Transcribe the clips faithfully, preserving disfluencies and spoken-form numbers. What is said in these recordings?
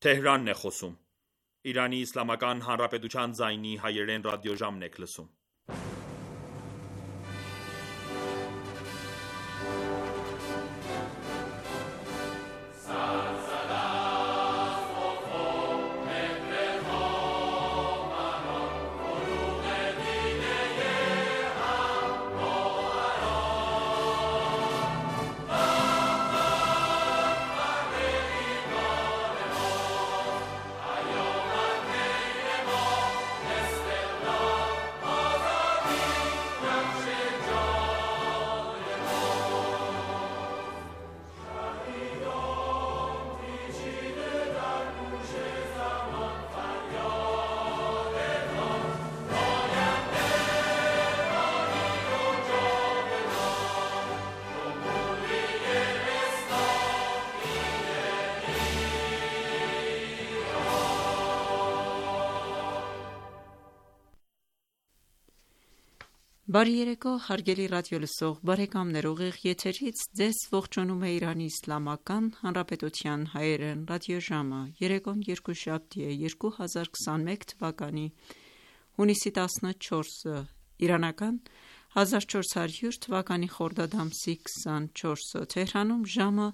Թեհրանն է խոսում։ Իրանի Իսլամական Հանրապետության ձայնի հայերեն ռադիոժամն եք լսում։ Բարի երեկո, հարգելի ռադիոլսող բարեկամներ, ուղիղ եթերից ձեզ ողջունում է Իրանի Իսլամական Հանրապետության հայերեն ռադիոժամը։ Երեկոն երկուշաբթի է, երկու հազար քսաներկու թվականի հունիսի տասնչորսը, իրանական հազար չորս հարյուր թվականի խորդադ ամսի քսանչորսը, Թեհրանում ժամը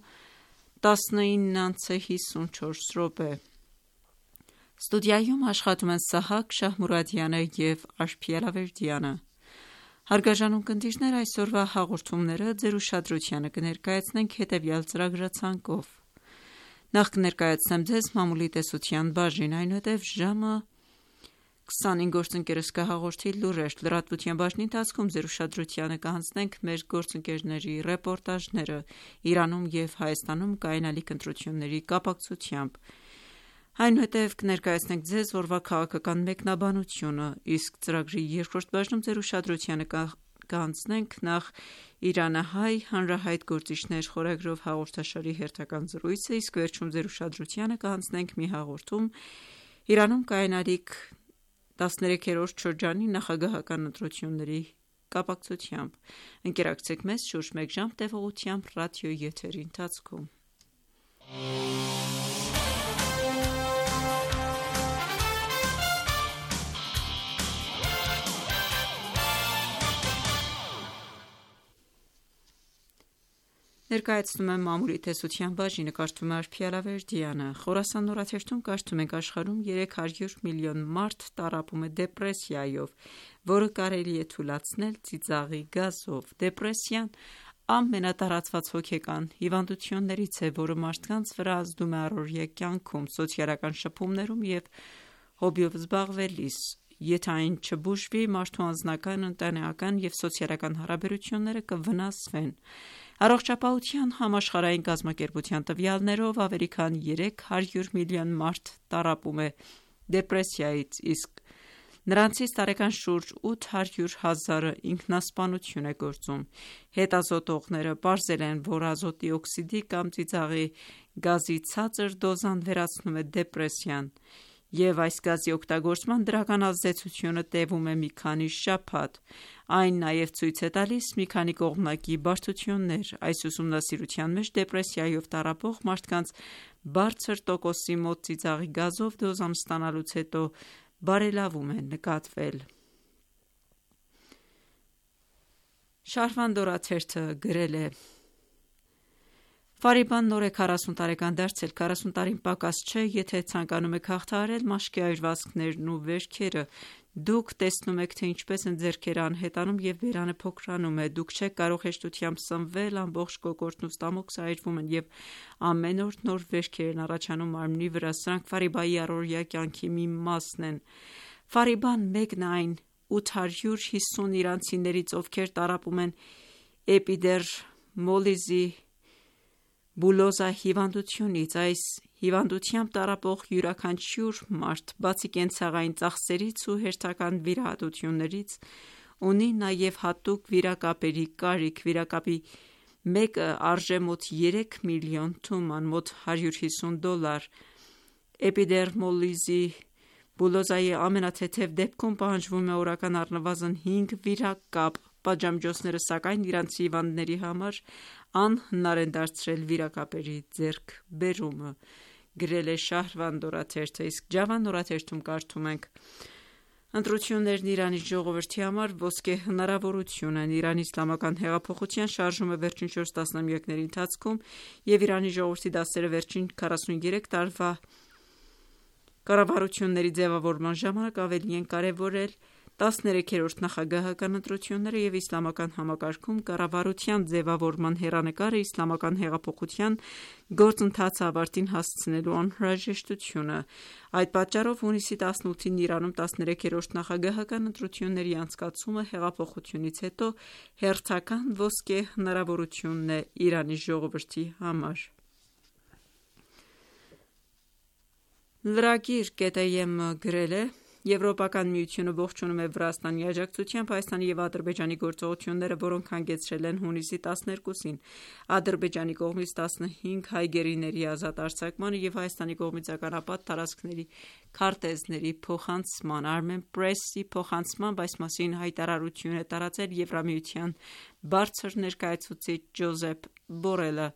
տասնինը հիսունչորս րոպե։ Ստուդիայում աշխատում են Սահակ Շահմուրադյանը և Աշփի Ալավերդյանը։ Հարգարժան ունկնդիրներ, այսօրվա հաղորդումները ձեր ուշադրությանը կներկայացնենք հետևյալ ծրագրացանկով։ Նախ կներկայացնեմ ձեզ մամուլի տեսության բաժին, այնուհետև ժամը քսանինը գործընկերս կհաղորդի լուրեր, լրատվության բաժնի ընթացքում ձեր ուշադրությանը կհանձնենք մեր գործընկերների ռեպորտաժները Իրանում և Հայաստանում կայանալիք ընտրությունների կապակցությամբ։ Այնուհետև կներկայացնենք ձեզ օրվա քաղաքական մեկնաբանությունը, իսկ ծրագրի երկրորդ բաժնում ձեր ուշադրությանը կհանձնենք նախ Իրանահայ հանրահայտ գործիչներ խորագրով հաղորդաշարի հերթական զրույցը, իսկ վերջում ձեր ուշադրությանը կհանձնենք մի հաղորդում Իրանում կայանալիք տասներեքերորդ շրջանի նախագահական ընտրությունների կապակցությամբ։ Ընկերակցեք մեզ շուրջ մեկ ժամ տևողությամբ ռադիոյի եթերի ընթացքում։ Ներկայացնում եմ մամուլի տեսության բաժինը, կարդում է Աշփի Ալավերդյանը։ Խորասան նորաթերթում կարդում ենք աշխարհում երեք հարյուր միլիոն մարդ տառապում է դեպրեսիայով, որը կարելի է թուլացնել ծիծաղի գազով։ Դեպրեսիան ամենատարածված հոգեկան հիվանդություններից է, որը մարդկանց վրա ազդում է առօրյա կյանքում, սոցիալական շփումներում և հոբբիով զբաղվելիս։ Եթե այն չբուժվի, մարդու անձնական, ընտանեկան և սոցիալական հարաբերությունները կվնասվեն։ Առողջապահության համաշխարհային կազմակերպության տվյալներով ավելի քան երեք հարյուր միլիոն մարդ տառապում է դեպրեսիայից, իսկ նրանցից տարեկան շուրջ ութ հարյուր հազարը ինքնասպանություն է գործում։ Հետազոտողները պարզել են, որ ազոտի օքսիդի կամ ծիծաղի գազի ցածր դոզան վերացնում է դեպրեսիան, և այս գազի օգտագործման դրական ազդեցությունը տևում է մի քանի շաբաթ։ Այն նաև ցույց է տալիս մի քանի կողմնակի բարդություններ։ Այս ուսումնասիրության մեջ դեպրեսիայով տառապող մարդկանց բարձր տոկոսի մոտ ծիծաղի գազով դոզան ստանալուց հետո բարելավում է նկատվել։ Շահրվանդ օրաթերթը գրել է. Ֆարիբան նոր է քառասուն տարեկան դարձել, քառասուն տարին պակաս չէ, եթե ցանկանում եք հաղթահարել մաշկի այրվածքներն ու վերքերը, դուք տեսնում եք, թե ինչպես են ձեռքերը անհետանում և բերանը փոքրանում է, դուք չեք կարող հեշտությամբ սնվել, ամբողջ կոկորդն ու ստամոքսը այրվում են և ամեն օր նոր վերքեր են առաջանում մարմնի վրա, սրանք Ֆարիբայի առօրյա կյանքի մի մասն են։ Ֆարիբան մեկն այն ութ հարյուր հիսուն իրանցիներից, ովքեր տառապում են էպիդերմոլիզի բուլոզա հիվանդությունից։ Այս հիվանդությամբ տառապող յուրաքանչյուր մարդ, բացի կենցաղային ծախսերից ու հերթական վիրահատություններից, ունի նաև հատուկ վիրակապերի կարիք։ Վիրակապի մեկը արժե մոտ երեք միլիոն թուման, մոտ հարյուր հիսուն դոլար։ Էպիդերմոլիզի բուլոզայի ամենաթեթև դեպքում պահանջվում է օրական առնվազն հինգ վիրակապ։ Պատժամիջոցները, սակայն, իրանցի հիվանդների համար անհնար են դարձրել վիրակապերի ձեռքբերումը։ գրել է Շահրվանդ օրաթերթը, իսկ Ջավան օրաթերթում կարդում ենք. Ընտրություններն Իրանի ժողովրդի համար ոսկե հնարավորություն են։ Իրանի իսլամական հեղափոխության շարժումը վերջին չորս տասնամյակների ընթացքում և Իրանի ժողովրդի դասերը վերջին քառասուներեք տարվա կառավարությունների ձևավորման ժամանակ ավելի են կարևորել տասներեքերորդ նախագահական ընտրությունները և իսլամական համակարգում կառավարության ձևավորման հեռանկարը իսլամական հեղափոխության գործընթացը ավարտին հասցնելու անհրաժեշտությունը։ Այդ պատճառով հունիսի տասնութին Իրանում տասներեքերորդ նախագահական ընտրությունների անցկացումը հեղափոխությունից հետո հերթական ոսկե հնարավորությունն է Իրանի ժողովրդի համար։ Lragir կետ է եմ գրել է. Եվրոպական միությունը ողջունում է Վրաստանի աջակցությամբ Հայաստանի և Ադրբեջանի գործողությունները, որոնք հանգեցրել են հունիսի տասներկուսին Ադրբեջանի կողմից տասնհինգ հայ գերիների ազատ արձակմանը և Հայաստանի կողմից ականապատ տարածքների քարտեզների փոխանցմանը։ Armenpress-ի փոխանցմամբ այս մասին հայտարարություն է տարածել Եվրամիության բարձր ներկայացուցիչ Ջոզեփ Բորելը։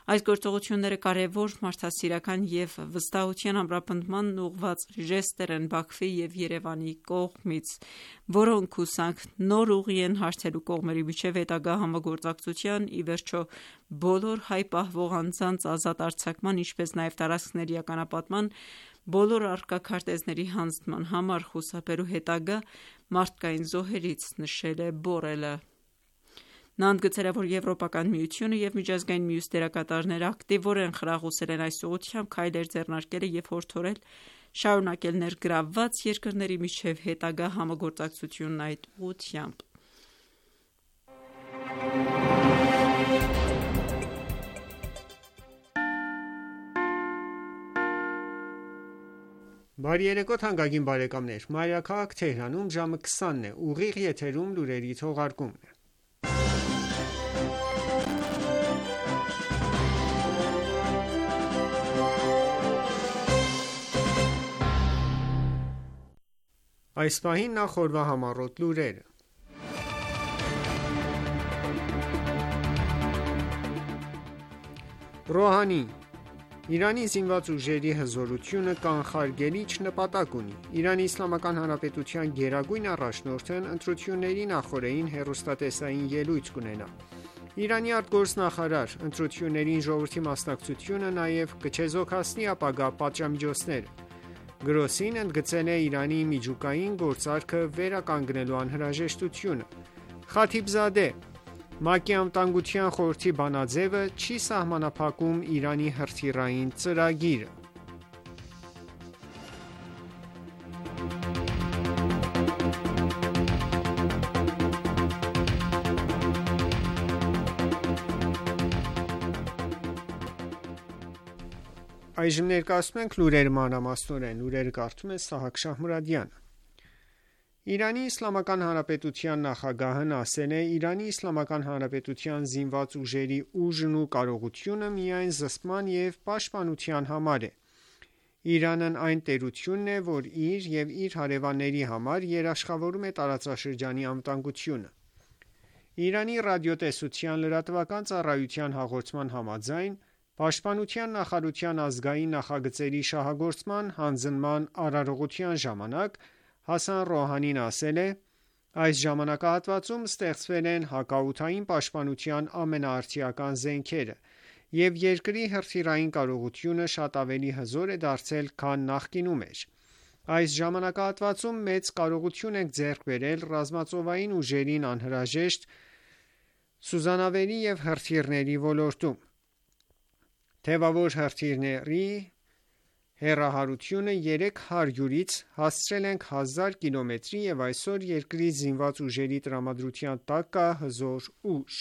Այս գործողությունները կարևոր մարդասիրական և վստահության ամրապնդմանն ուղղված ժեստեր են Բաքվի և Երևանի կողմից, որոնք հուսանք նոր ուղի են հարթելու կողմերի միջև հետագա համագործակցության, ի վերջո բոլոր հայ պահվող անձանց ազատ արձակման, ինչպես նաև տարածքների ականապատման բոլոր առկա քարտեզների հանձնման համար խուսափելու հետագա մարդկային զոհերից, նշել է Բորելը։ Նա ընդգծել է, որ Եվրոպական միությունը և միջազգային մյուս դերակատարները ակտիվորեն խրախուսել են այս ուղղությամբ քայլեր ձեռնարկելը և հորդորել շարունակել ներգրավված երկրների միջև հետագա համագործակցությունն այդ ուղղությամբ։ Բարի երեկո թանկագին բարեկամներ, Մայրաքաղաք Թեհրանում ժամը քսանն է, ուղիղ եթերում լուրերի թողարկումն է։ Այս պահին նախ օրվա համառոտ լուրերը։ Ռոհանի. Իրանի զինված ուժերի հզորությունը կանխարգելիչ նպատակ ունի։ Իրանի Իսլամական Հանրապետության գերագույն առաջնորդն ընտրությունների նախօրեին հեռուստատեսային ելույթ կունենա։ Իրանի արտգործնախարար. ընտրություններին ժողովրդի մասնակցությունը նաև կչեզոքացնի ապագա պատժամիջոցները։ Գրոսին ընդգծել է Իրանի միջուկային գործարքը վերականգնելու անհրաժեշտությունը։ Խաթիբզադե. ՄԱԿ-ի Անվտանգության խորհրդի բանաձևը չի սահմանափակում Իրանի հրթիռային ծրագիրը։ Այժմ ներկայացնում ենք լուրերը մանրամասնորեն։ Լուրերը կարդում է Սահակ Շահմուրադյանը։ Իրանի Իսլամական Հանրապետության նախագահն ասել է. Իրանի Իսլամական Հանրապետության զինված ուժերի ուժն ու կարողությունը միայն զսպման և պաշտպանության համար է։ Իրանն այն տերությունն է, որ իր և իր հարևանների համար երաշխավորում է տարածաշրջանի անվտանգությունը։ Իրանի ռադիոտեսության լրատվական ծառայության հաղորդման համաձայն Պաշտպանության նախարարության ազգային նախագծերի շահագործման հանձնման արարողության ժամանակ Հասան Ռոհանին ասել է. Այս ժամանակահատվածում ստեղծվել են հակաօդային պաշտպանության ամենաարդիական զենքերը, և երկրի հրթիռային կարողությունը շատ ավելի հզոր է դարձել, քան նախկինում էր։ Այս ժամանակահատվածում մեծ կարողություն ենք ձեռք բերել ռազմածովային ուժերին անհրաժեշտ սուզանավերի և հրթիռների ոլորտում։ Թևավոր հրթիռների հեռահարությունը երեք հարյուրից հասցրել ենք հազար կիլոմետրի և այսօր երկրի զինված ուժերի տրամադրության տակ կա հզոր ուժ։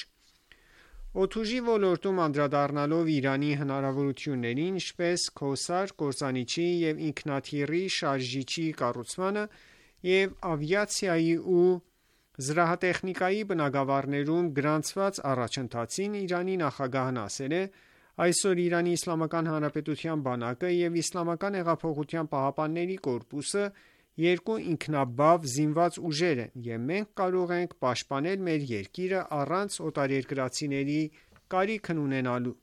Օդուժի ոլորտում անդրադառնալով Իրանի հնարավորություններին, ինչպես Քոսար կործանիչի և ինքնաթիռի շարժիչի կառուցմանը և ավիացիայի ու զրահատեխնիկայի բնագավառներում գրանցված առաջընթացին, Իրանի նախագահն ասել է. Այսօր Իրանի Իսլամական Հանրապետության բանակը և Իսլամական հեղափոխության պահապանների կորպուսը երկու ինքնաբավ զինված ուժեր են, և մենք կարող ենք պաշտպանել մեր երկիրը առանց օտարերկրացիների կարիքն ունենալու։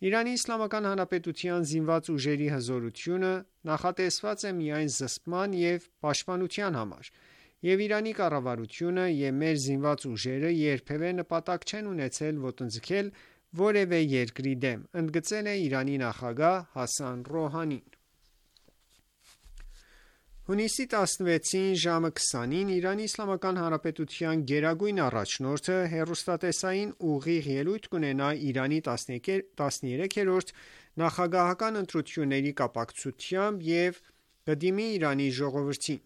Իրանի Իսլամական Հանրապետության զինված ուժերի հզորությունը նախատեսված է միայն զսպման և պաշտպանության համար, և Իրանի կառավարությունը և մեր զինված ուժերը երբևէ նպատակ չեն ունեցել ոտնձգել որևէ երկրի դեմ, ընդգծել է Իրանի նախագահ Հասան Ռոհանին: Հունիսի տասնվեցին ժամը քսանին Իրանի Իսլամական Հանրապետության գերագույն առաջնորդը հեռուստատեսային ուղիղ ելույթ կունենա Իրանի տասներեքերորդ նախագահական ընտրությունների կապակցությամբ և կդիմի Իրանի ժողովրդին: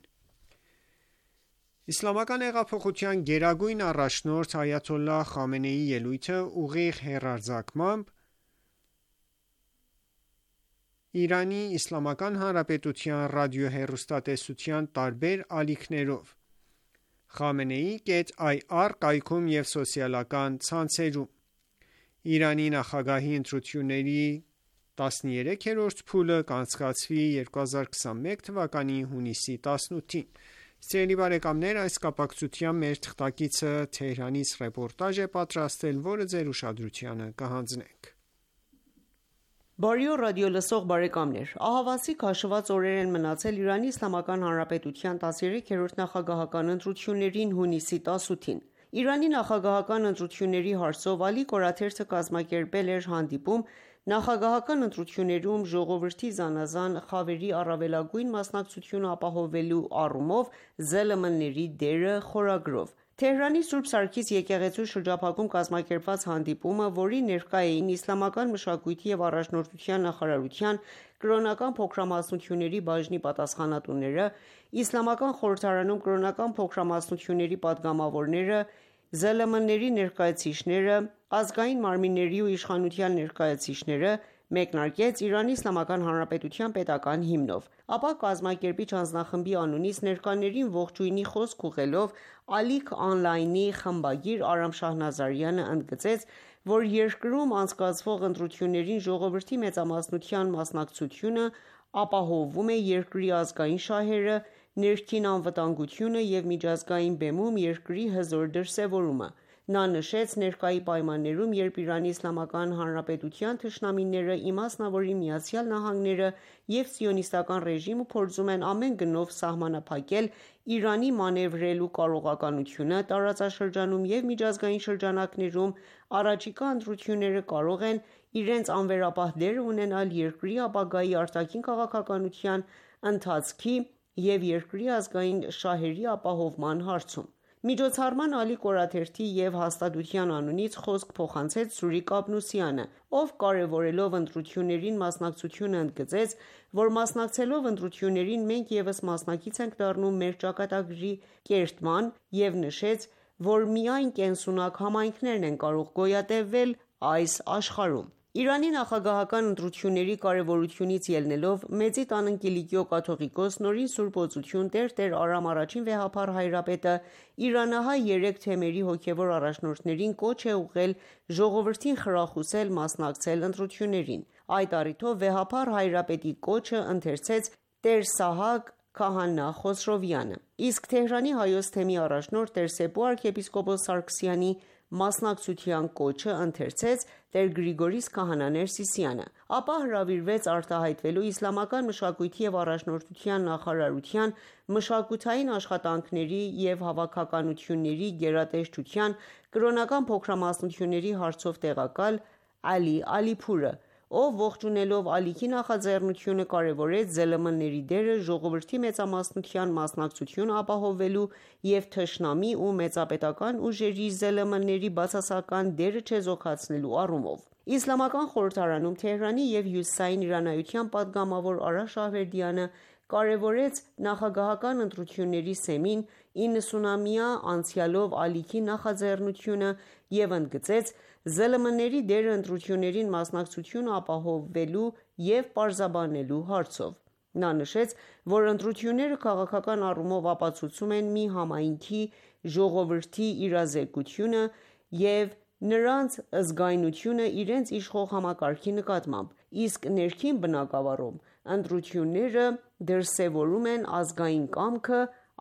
Իսլամական հեղափոխության գերագույն առաջնորդ Այաթոլլահ Խամենեիի ելույթը ուղիղ հեռարձակվամբ Իրանի Իսլամական Հանրապետության ռադիոհեռուստատեսության տարբեր ալիքներով Khamenei.ir կայքում և սոցիալական ցանցերում: Իրանի նախագահի ընտրությունների տասներեքերորդ փուլը կանցկացվի երկու հազար քսանմեկ թվականի հունիսի տասնութին: Այս կապակցությամբ մեր թղթակիցը Թեհրանից ռեպորտաժ է պատրաստել, որը ձեր ուշադրությանը կհանձնենք: Բարի օր ռադիոլսող բարեկամներ: Ահավասիկ հաշվված օրեր են մնացել Իրանի Իսլամական Հանրապետության տասներեքերորդ նախագահական ընտրություններին հունիսի տասնութին: Իրանի նախագահական ընտրությունների հարցով Ալի Կորաթերթը կազմակերպել էր հանդիպում նախագահական ընտրություններում ժողովրդի զանազան խավերի առավելագույն մասնակցությունը ապահովելու առումով ԶԼՄ-ների դերը խորագրով: Թեհրանի Սուրբ Սարգիս եկեղեցու շրջափակում կազմակերպված հանդիպումը, որին ներկա էին Իսլամական մշակույթի և առաջնորդության նախարարության կրոնական փոքրամասնությունների բաժնի պատասխանատուները, Իսլամական խորհրդարանում կրոնական փոքրամասնությունների պատգամավորները, ԶԼՄ-ների ներկայացուցիչները, ազգային մարմինների ու իշխանության ներկայացուցիչները, մեկնարկեց Իրանի Իսլամական Հանրապետության պետական հիմնով: Ապա կազմակերպիչ անձնախմբի անունից ներկաներին ողջույնի խոսք ուղղելով Ալիք Օնլայնի խմբագիր Արամ Շահնազարյանը ընդգծեց, որ երկրում անցկացվող ընտրություններին ժողովրդի մեծամասնության մասնակցությունը ապահովում է երկրի ազգային շահերը, ներքին անվտանգությունը և միջազգային բեմում երկրի հզոր դրսևորումը: Նա նշեց ներկայի պայմաններում, երբ Իրանի Իսլամական Հանրապետության թշնամիները, իմասնավորին ԱՄՆ-ը և Սիոնիստական ռեժիմը փորձում են ամեն գնով սահմանափակել Իրանի մանևրելու կարողականությունը տարածաշրջանում և միջազգային շրջանակներում, առաջիկա ընտրությունները կարող են իրենց անվերապահ դերը ունենալ երկրի ապագայի արտաքին քաղաքականության ընթացքի և երկրի ազգային շահերի ապահովման հարցում: Միջոցառման Ալի Կորաթերթի և հաստատության անունից խոսք փոխանցեց Սուրիկ Աբնոսյանը, ով կարևորելով ընտրություններին մասնակցությունը ընդգծեց, որ մասնակցելով ընտրություններին մենք ևս մասնակից ենք դառնում մեր ճակատագրի կերտման և նշեց, որ միայն կենսունակ համայնքներն են կարող գոյատևել այս աշխարհում: Իրանի նախագահական ընտրությունների կարևորությունից ելնելով Մեծի տան Կիլիկիո կաթողիկոս Նորին Սուրբ Օծություն Տեր Արամ առաջին վեհափառ հայրապետը իրանահայ երեք թեմերի հոգևոր առաջնորդներին կոչ է ուղղել ժողովրդին խրախուսել մասնակցել ընտրություններին: Այդ առիթով վեհափառ հայրապետի կոչը ընթերցեց Տեր Սահակ Քահանա Խոսրովյանը: Իսկ Թեհրանի Հայոց թեմի առաջնորդ Տեր Սեփու arczepiskopos Սարգսյանի մասնակցության կոչը ընթերցեց Տեր Գրիգորիս Քահանա Ներսիսյանը: Ապա հրավիրվեց արտահայտվելու Իսլամական մշակույթի և առաջնորդության նախարարության մշակութային աշխատանքների և հավաքականությունների գերատեսչության կրոնական փոքրամասնությունների հարցով տեղակալ Ալի Ալիփուրը, ով ողջունելով ալիքի նախաձեռնությունը կարևորեց ԶԼՄ-ների դերը ժողովրդի մեծամասնության մասնակցությունը ապահովելու և թշնամի ու մեծապետական ուժերի ԶԼՄ-ների բացասական դերը չեզոքացնելու առումով: Իսլամական խորհրդարանում Թեհրանի և հյուսիսային իրանայության պատգամավոր Արա Շահվերդյանը կարևորեց նախագահական ընտրությունների սեմին իննսունամյա անցյալով ալիքի նախաձեռնությունը և ընդգծեց ԶԼՄ-ների դերը ընտրություններին մասնակցությունը ապահովելու և պարզաբանելու հարցով: Նա նշեց, որ ընտրությունները քաղաքական առումով ապացուցում են մի համայնքի ժողովրդի իրազեկությունը և նրանց զգայունությունը իրենց իշխող համակարգի նկատմամբ, իսկ ներքին բնագավառում ընտրությունները դրսևորում են ազգային կամքը,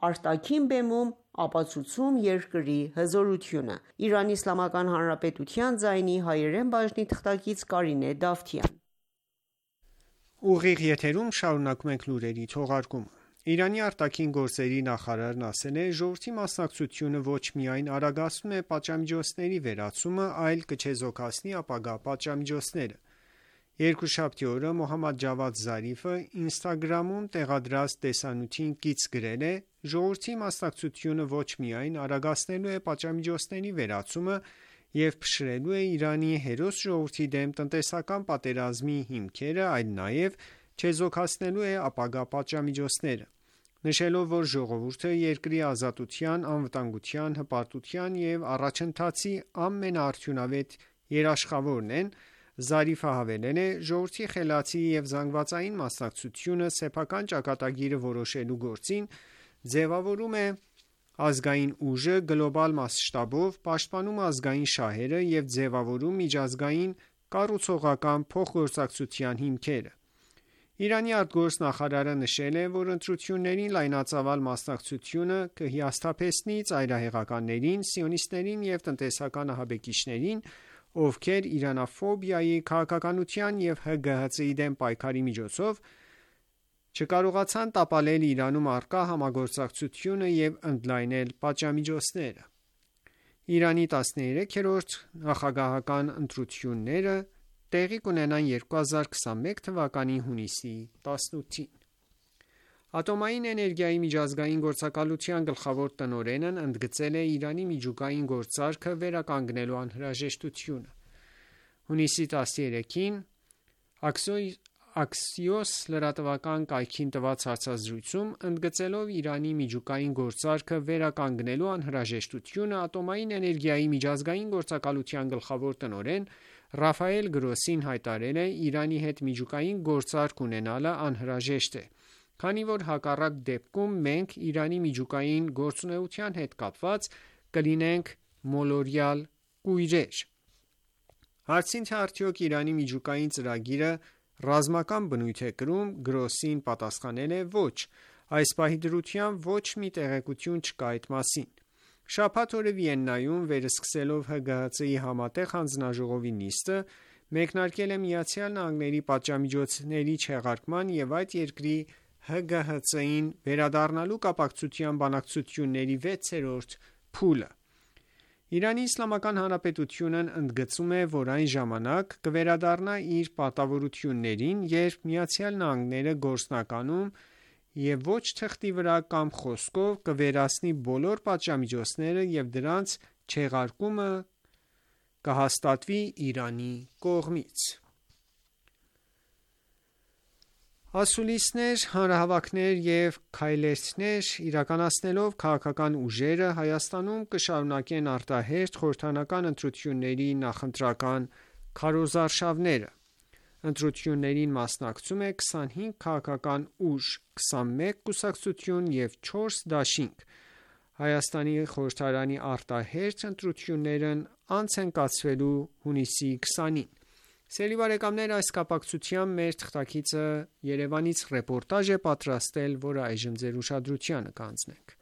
արտաքին բեմում ապացուցում երկրի հզորությունը։ Իրանի Իսլամական Հանրապետության ձայնի հայերեն բաժնի թղթակից Կարինե Դավթյան։ Ուղիղ եթերում շարունակում ենք լուրերի թողարկումը։ Իրանի արտաքին գործերի նախարարն ասել է. «Ժողովրդի մասնակցությունը ոչ միայն արագացնում է պատժամիջոցների վերացումը, այլ կչեզոքացնի ապագա պատժամիջոցները»։ Երկուշաբթի օրը Մոհամմադ Ջավադ Զարիֆը Instagram-ում տեղադրած տեսանյութին կից գրել է. «Ժողովրդի մասնակցությունը ոչ միայն արագացնելու է պատժամիջոցների վերացումը և փշրելու է Իրանի հերոս ժողովրդի դեմ տնտեսական պատերազմի հիմքերը, այլ նաև չեզոքացնելու է ապագա պատժամիջոցները»։ Նշելով, որ ժողովուրդը երկրի ազատության, անվտանգության, հպարտության և առաջընթացի ամենաարդյունավետ երաշխավորն են, Զարիֆը հավելել է. «Ժողովրդի խելացի և զանգվածային մասնակցությունը սեփական ճակատագիրը որոշելու գործին ձևավորում է ազգային ուժը գլոբալ մասշտաբով, պաշտպանում ազգային շահերը և ձևավորում միջազգային կառուցողական փոխգործակցության հիմքերը»։ Իրանի արտգործնախարարը նշել է, որ ընտրություններին լայնածավալ մասնակցությունը կհիասթափեցնի ծայրահեղականներին, սիոնիստներին և տնտեսական ահաբեկիչներին, ովքեր իրանաֆոբիայի, քաղաքականության և ՀԳՀԾ-ի դեմ պայքարի միջոցով չկարողացան տապալել Իրանում առկա համագործակցությունը և ընդլայնել պատժամիջոցները։ Իրանի տասներեքերորդ նախագահական ընտրությունները տեղի կունենան երկու հազար քսանմեկ թվականի հունիսի տասնութին։ Ատոմային էներգիայի միջազգային գործակալության գլխավոր տնօրենն ընդգծել է Իրանի միջուկային գործարքը վերականգնելու անհրաժեշտությունը։ Հունիսի տասներեքին Axios լրատվական կայքին տված հարցազրույցում, ընդգծելով Իրանի միջուկային գործարքը վերականգնելու անհրաժեշտությունը, Ատոմային էներգիայի միջազգային գործակալության գլխավոր տնօրեն Ռաֆայել Գրոսին հայտարարել է. «Իրանի հետ միջուկային գործարք ունենալը անհրաժեշտ է, քանի որ հակառակ դեպքում մենք Իրանի միջուկային գործունեության հետ կապված կլինենք մոլորյալ կույրեր»։ Հարցին, թե արդյոք Իրանի միջուկային ծրագիրը ռազմական բնույթ է կրում, Գրոսին պատասխանել է. «Ոչ, այս պահի դրությամբ ոչ մի տեղեկություն չկա այդ մասին»։ Շաբաթ օրը Վիեննայում վերսկսելով ՀԳՀԾ-ի համատեղ հանձնաժողովի նիստը, մեկնարկել է Միացյալ Նահանգների պատժամիջոցների չեղարկման և այդ երկրի ՀԳՀԾ-ին վերադառնալու կապակցությամբ բանակցությունների վեցերորդ փուլը։ Իրանի Իսլամական Հանրապետությունն ընդգծում է, որ այն ժամանակ կվերադառնա իր պարտավորություններին, երբ Միացյալ Նահանգները գործնականում և ոչ թղթի վրա կամ խոսքով կվերացնի բոլոր պատժամիջոցները և դրանց չեղարկումը կհաստատվի Իրանի կողմից։ Ասուլիսներ, հանրահավաքներ և քայլերթներ իրականացնելով քաղաքական ուժերը Հայաստանում կշարունակեն արտահերթ խորհրդարանական ընտրությունների նախընտրական քարոզարշավները։ Ընտրություններին մասնակցում է քսանհինգ քաղաքական ուժ, քսանմեկ կուսակցություն և չորս դաշինք։ Հայաստանի խորհրդարանի արտահերթ ընտրություններն անց են կացվելու հունիսի քսանին։ Սիրելի բարեկամներ, այս կապակցությամբ մեր թղթակիցը Երևանից ռեպորտաժ է պատրաստել, որը այժմ ձեր ուշադրությանը կհանձնենք։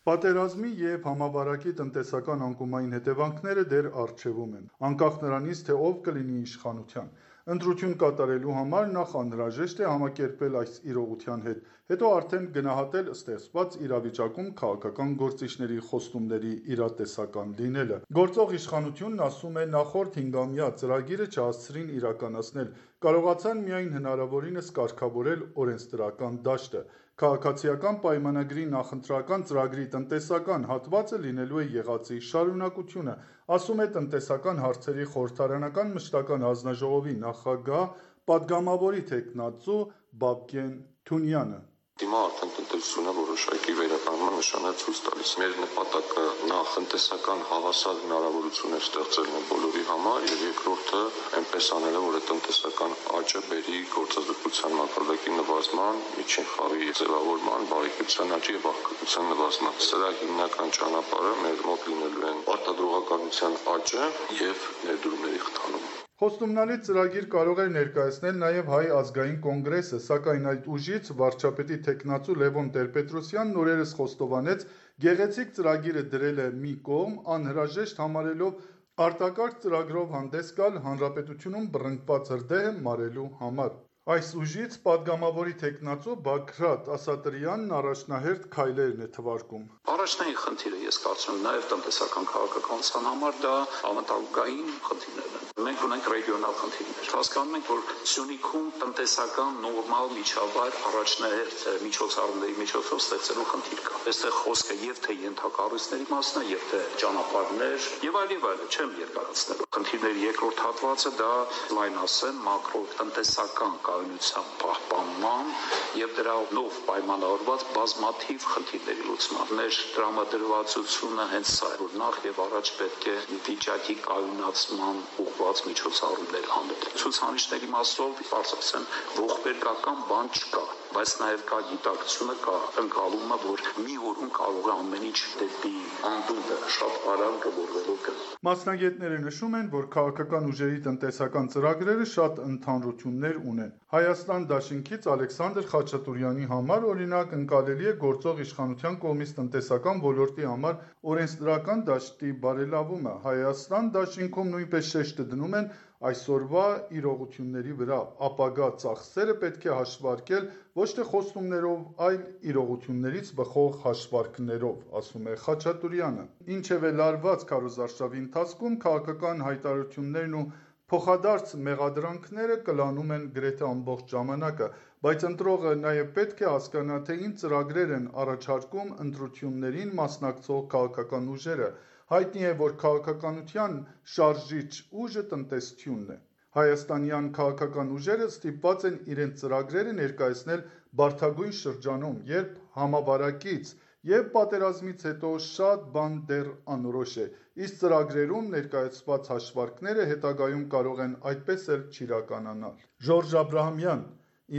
Պատերազմի և համավարակի տնտեսական անկումային հետևանքները դեռ առջևում են, անկախ նրանից, թե ով կլինի իշխանության։ Ընտրություն կատարելու համար նախ անհրաժեշտ է համակերպվել այս իրողության հետ, հետո արդեն գնահատել ստեղծված իրավիճակում քաղաքական գործիչների խոստումների իրատեսական լինելը։ Գործող իշխանությունն ասում է նախորդ հինգամյա ծրագիրը չհասցրին իրականացնել, կարողացան միայն հնարավորինս կարգավորել օրենսդրական դաշտը։ Քաղաքացիական պայմանագրի նախընտրական ծրագրի տնտեսական հատվածը լինելու է եղածի շարունակությունը, ասում է տնտեսական հարցերի խորհրդարանական մշտական հանձնաժողովի նախագահ, պատգամավորի թեկնածու Բաբկեն Թունյանը։ Հիմա արդեն տնտեսությունը որոշակի վերականգնման նշան է ցույց տալիս։ Մեր նպատակը նախ տնտեսական հավասար հնարավորություններ ստեղծելն է բոլորի համար, եւ երկրորդը այնպես անելը, որ այդ տնտեսական աճը բերի գործազրկության մակարդակի նվազման, միջին խավի ձևավորման, բարեկեցության աճի եւ աղքատության նվազման։ Սրա հիմնական ճանապարհը մեր մոտ լինելու են արտադրողականության աճը եւ ներդրումների խթանումը։ Խոստումնալից ծրագիր կարող էր ներկայացնել նաև Հայ ազգային կոնգրեսը, սակայն այդ ուժից վարչապետի թեկնածու Լևոն Տեր-Պետրոսյանն օրերս խոստովանեց, գեղեցիկ ծրագիրը դրել է մի կողմ, անհրաժեշտ համարելով արտակարգ ծրագրով հանդես գալ հանրապետությունում բռնկված հրդեհը մարելու համար։ Այս ուժից պատգամավորի թեկնածու Բագրատ Ասատրյանն առաջնահերթ քայլերն է թվարկում։ Առաջնային խնդիրը ես կարծում եմ նաև տնտեսական քաղաքականության համար դա համատալուկային խնդիրներն են։ Մենք ունենք ռեգիոնալ խնդիրներ։ Հասկանում ենք, որ Սյունիքում տնտեսական նորմալ միջավայր առաջնահերթ միջոցառումների միջոցով ստեղծելու խնդիր կա։ Այստեղ խոսքը եւ թե ենթակառույցների մասն է, եւ թե ճանապարհներ եւ այլ եւ այլ, չեմ երկարացնելու։ Խնդիրների երկրորդ հատվածը դա լայն ասեմ մակրո տնտեսական կայունության պահպանման եւ դրանով պայմանավորված բազմաթիվ խնդիրների լուծման։ Մեր տրամադրվածությունը հենց սա է, որ նախ եւ առաջ պետք է վիճակի կայունացման ուղղված միջոցառումներ անել։ Ցուցանիշների մասով բարձրացան ողբերգական բան չկա, բայց նաեւ կա գիտակցությունը, կա ընկալումը, որ մի օրում կարող է ամեն ինչ դեպի անդունդը շատ արագ գլորվելու կա։ Մասնագետները նշում են, որ քաղաքական ուժերի տնտեսական ծրագրերը շատ ընդհանրություններ ունեն։ Հայաստան դաշինքից Ալեքսանդր Խաչատուրյանի համար օրինակ ընկալելի է գործող իշխանության կողմից տնտեսական ոլորտի համար օրենսդրական դաշտի բարելավումը։ Հայաստան դաշինքում նույնպես շեշտը դնում են այսօրվա իրողությունների վրա, ապագա ծախսերը պետք է հաշվարկել ոչ թե խոստումներով, այլ իրողություններից բխող հաշվարկներով, ասում է Խաչատուրյանը։ Ինչևէ լարված քարոզարշավի ընթացքում քաղաքական հայտարարություններն ու փոխադարձ մեղադրանքները կլանում են գրեթե ամբողջ ժամանակը, բայց ընտրողը նաև պետք է հասկանա, թե ինչ ծրագրեր են առաջարկում ընտրություններին մասնակցող քաղաքական ուժերը։ Հայտնի է, որ քաղաքականության շարժիչ ուժը տնտեսությունն է։ Հայաստանյան քաղաքական ուժերը ստիպված են իրենց ծրագրերը ներկայացնել բարդագույն շրջանում, երբ համավարակից եւ պատերազմից հետո շատ բան դեռ անորոշ է, իսկ ծրագրերում ներկայացված հաշվարկները հետագայում կարող են այդպես էլ չիրականանալ։ Ժորժ Աբրահամյան,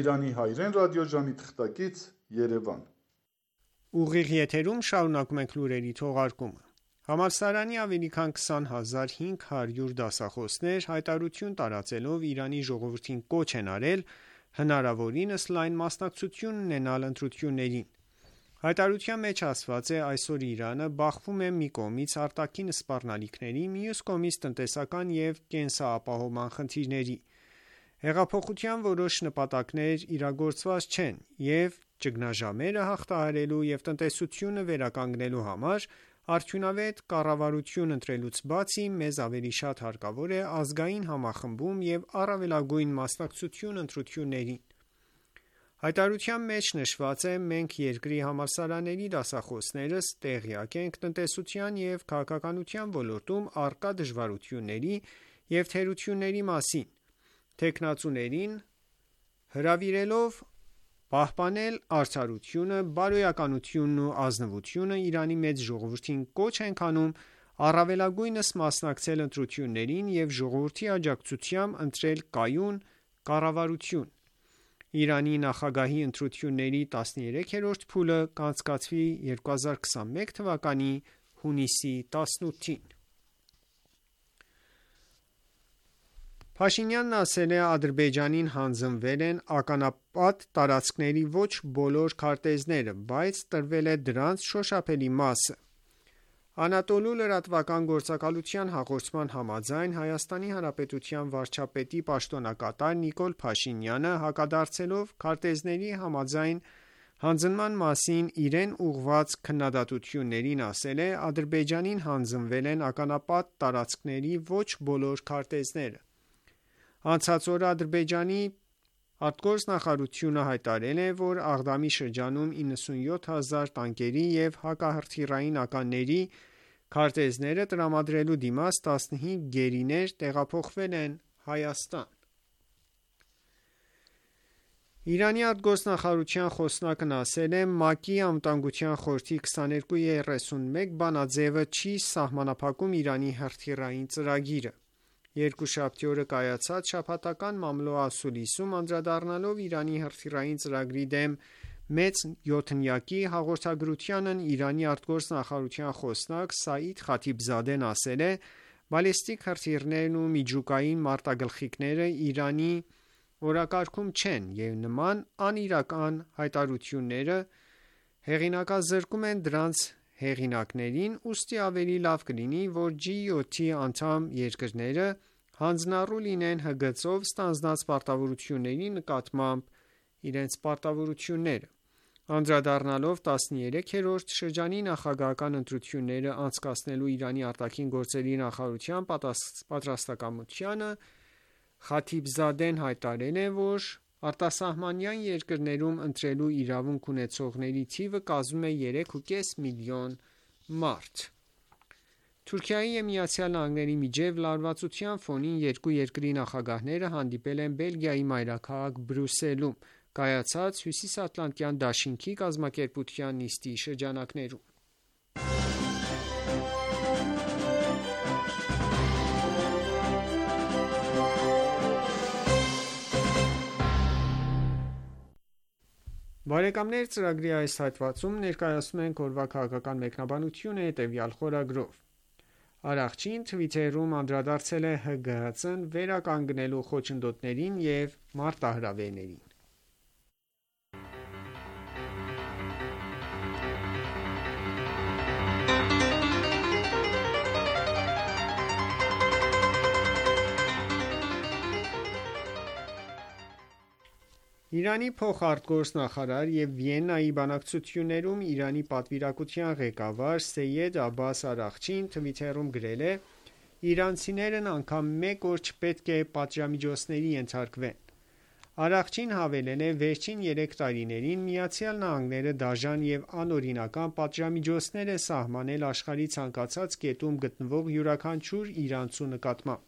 Իրանի հայրեն ռադիոժամի թղթակից, Երևան։ Ուղիղ եթերում շարունակում ենք լուրերի թողարկումը։ Համալսարանի ավելի քան քսան հազար հինգ հարյուր դասախոսներ հայտարարություն տարածելով Իրանի ժողովրդին կոչ են արել հնարավորինս լայն մասնակցություն ունենալ ընտրություններին։ Հայտարարության մեջ ասված է, այսօր Իրանը բախվում է մի կողմից արտաքին սպառնալիքների, մյուս կողմից տնտեսական եւ կենսապահովման խնդիրների։ Հեղափոխության որոշ նպատակներ իրագործված չեն եւ ճգնաժամերը հաղթահարելու եւ տնտեսությունը վերականգնելու համար արդյունավետ կառավարություն ընտրելուց բացի մեզ ավելի շատ հարկավոր է ազգային համախմբում եւ առավելագույն մասնակցություն ընտրություններին։ Հայտարարության մեջ նշված է. մենք երկրի համալսարանների դասախոսներս տեղյակ ենք տնտեսության եւ քաղաքականության ոլորտում առկա դժվարությունների եւ թերությունների մասին։ Տեխնացուներին հրավիրելով պահպանել արդարությունը, բարոյականությունն ու ազնվությունը Իրանի մեծ ժողովրդին կոչ ենք անում առավելագույնս մասնակցել ընտրություններին եւ ժողովրդի աջակցությամբ ընտրել կայուն կառավարություն։ Իրանի նախագահի ընտրությունների տասներեքերորդ փուլը կանցկացվի երկու հազար քսանմեկ թվականի հունիսի տասնութին։ Փաշինյանն ասել է, Ադրբեջանին հանձնվել են ականապատ տարածքների ոչ բոլոր քարտեզները, բայց տրվել է դրանց շոշափելի մասը։ Անատոլու լրատվական գործակալության հաղորդման համաձայն Հայաստանի Հանրապետության վարչապետի պաշտոնակատար Նիկոլ Փաշինյանը հակադարձելով քարտեզների համաձայն հանձնման մասին իրեն ուղղված քննադատություններին ասել է, Ադրբեջանին հանձնվել են ականապատ տարածքների ոչ բոլոր քարտեզները։ Անցած օրը Ադրբեջանի արտգործնախարարությունը հայտարարել է, որ Աղդամի շրջանում իննսունյոթ հազար տանկերի եւ հակահրթիռային ականների քարտեզները տրամադրելու դիմաց տասնհինգ գերիներ տեղափոխվել են Հայաստան։ Իրանի արտգործնախարարության խոսնակն ասել է, ՄԱԿ-ի անվտանգության խորհրդի քսաներկու երեսունմեկ բանաձևը չի սահմանափակում Իրանի հրթիռային ծրագիրը։ Երկուշաբթի օրը կայացած շաբաթական մամլո-ասուլիսում անդրադառնալով Իրանի հրթիռային ծրագրի դեմ մեծ յոթնյակի հաղորդագրությանն Իրանի արտգործնախարարության խոսնակ Սաիդ Խաթիբզադեն ասել է, Բալիստիկ հրթիռներն ու միջուկային մարտագլխիկները Իրանի օրակարգում չեն և նման անիրական հայտարարությունները հեղինակազրկում են դրանց հեղինակներին, ուստի ավելի լավ կլինի, որ ջի յոթ-ի անդամ երկրները հանձնառու լինեն Հ Գ Ց-ով ստանձնած պարտավորությունների նկատմամբ իրենց պարտավորությունները: Անդրադառնալով տասներեքերորդ շրջանի նախագահական ընտրությունները անցկացնելու Իրանի արտաքին գործերի նախարարության պատրաստակամությանը, Խաթիբզադեն հայտարարել է, որ արտասահմանյան երկրներում ընտրելու իրավունք ունեցողների թիվը կազմում է երեք ու կես միլիոն մարդ: Թուրքիայի և ԱՄՆ-ի միջև լարվածության ֆոնին երկու երկրի նախագահները հանդիպել են Բելգիայի մայրաքաղաք Բրյուսելում կայացած Հյուսիսատլանտյան դաշինքի կազմակերպության նիստի շրջանակներում: Բարեկամներ, ծրագրի այս հատվածում ներկայացնում ենք օրվա քաղաքական մեկնաբանությունը հետևյալ խորագրով: Արաղչին Թվիտերում անդրադարձել է Հ Գ Հ Ց-ն վերականգնելու խոչընդոտներին և մարտահրավերներին: Իրանի փոխարտգործնախարար և Վիեննայի բանակցություններում Իրանի պատվիրակության ղեկավար Սեյեդ Աբբաս Արաղչին Թվիտերում գրել է. «Իրանցիներն անգամ մեկ օր չպետք է պատժամիջոցների ենթարկվեն»: Արաղչին հավելել է. «Վերջին երեք տարիներին ԱՄՆ-ը դաժան և անօրինական պատժամիջոցներ է սահմանել աշխարհի ցանկացած կետում գտնվող յուրաքանչյուր իրանցու նկատմամբ»: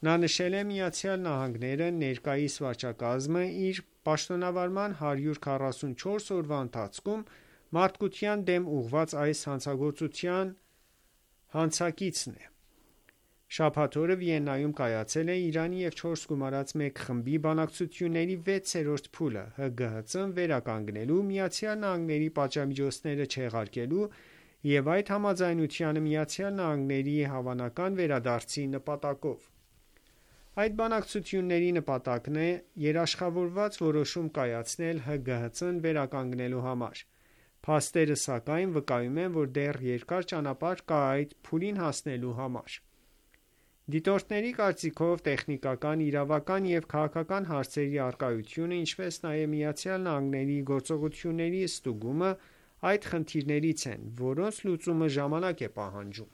Նա նշել է. «ԱՄՆ-ն ներկայիս վարչակազմը իր պաշտոնավարման հարյուր քառասունչորս օրվա ընթացքում մարդկության դեմ ուղղված այս հանցագործության հանցակիցն է»: Շաբաթ օրը Վիեննայում կայացել է Իրանի և չորս գումարած մեկ խմբի բանակցությունների վեցերորդ փուլը՝ Հ Գ Հ Ց-ն վերականգնելու, ԱՄՆ-ի պատժամիջոցները չեղարկելու և այդ համաձայնությանը ԱՄՆ-ի հավանական վերադարձի նպատակով: Այդ բանակցությունների նպատակն է երաշխավորված որոշում կայացնել Հ Գ Հ Ց-ն վերականգնելու համար: Փաստերը սակայն վկայում են, որ դեռ երկար ճանապարհ կա այդ փուլին հասնելու համար: Դիտորդների կարծիքով տեխնիկական, իրավական և քաղաքական հարցերի առկայությունը, ինչպես նաև ԱՄՆ-ի գործողությունների ստուգումը այդ խնդիրներից են, որոնց լուծումը ժամանակ է պահանջում: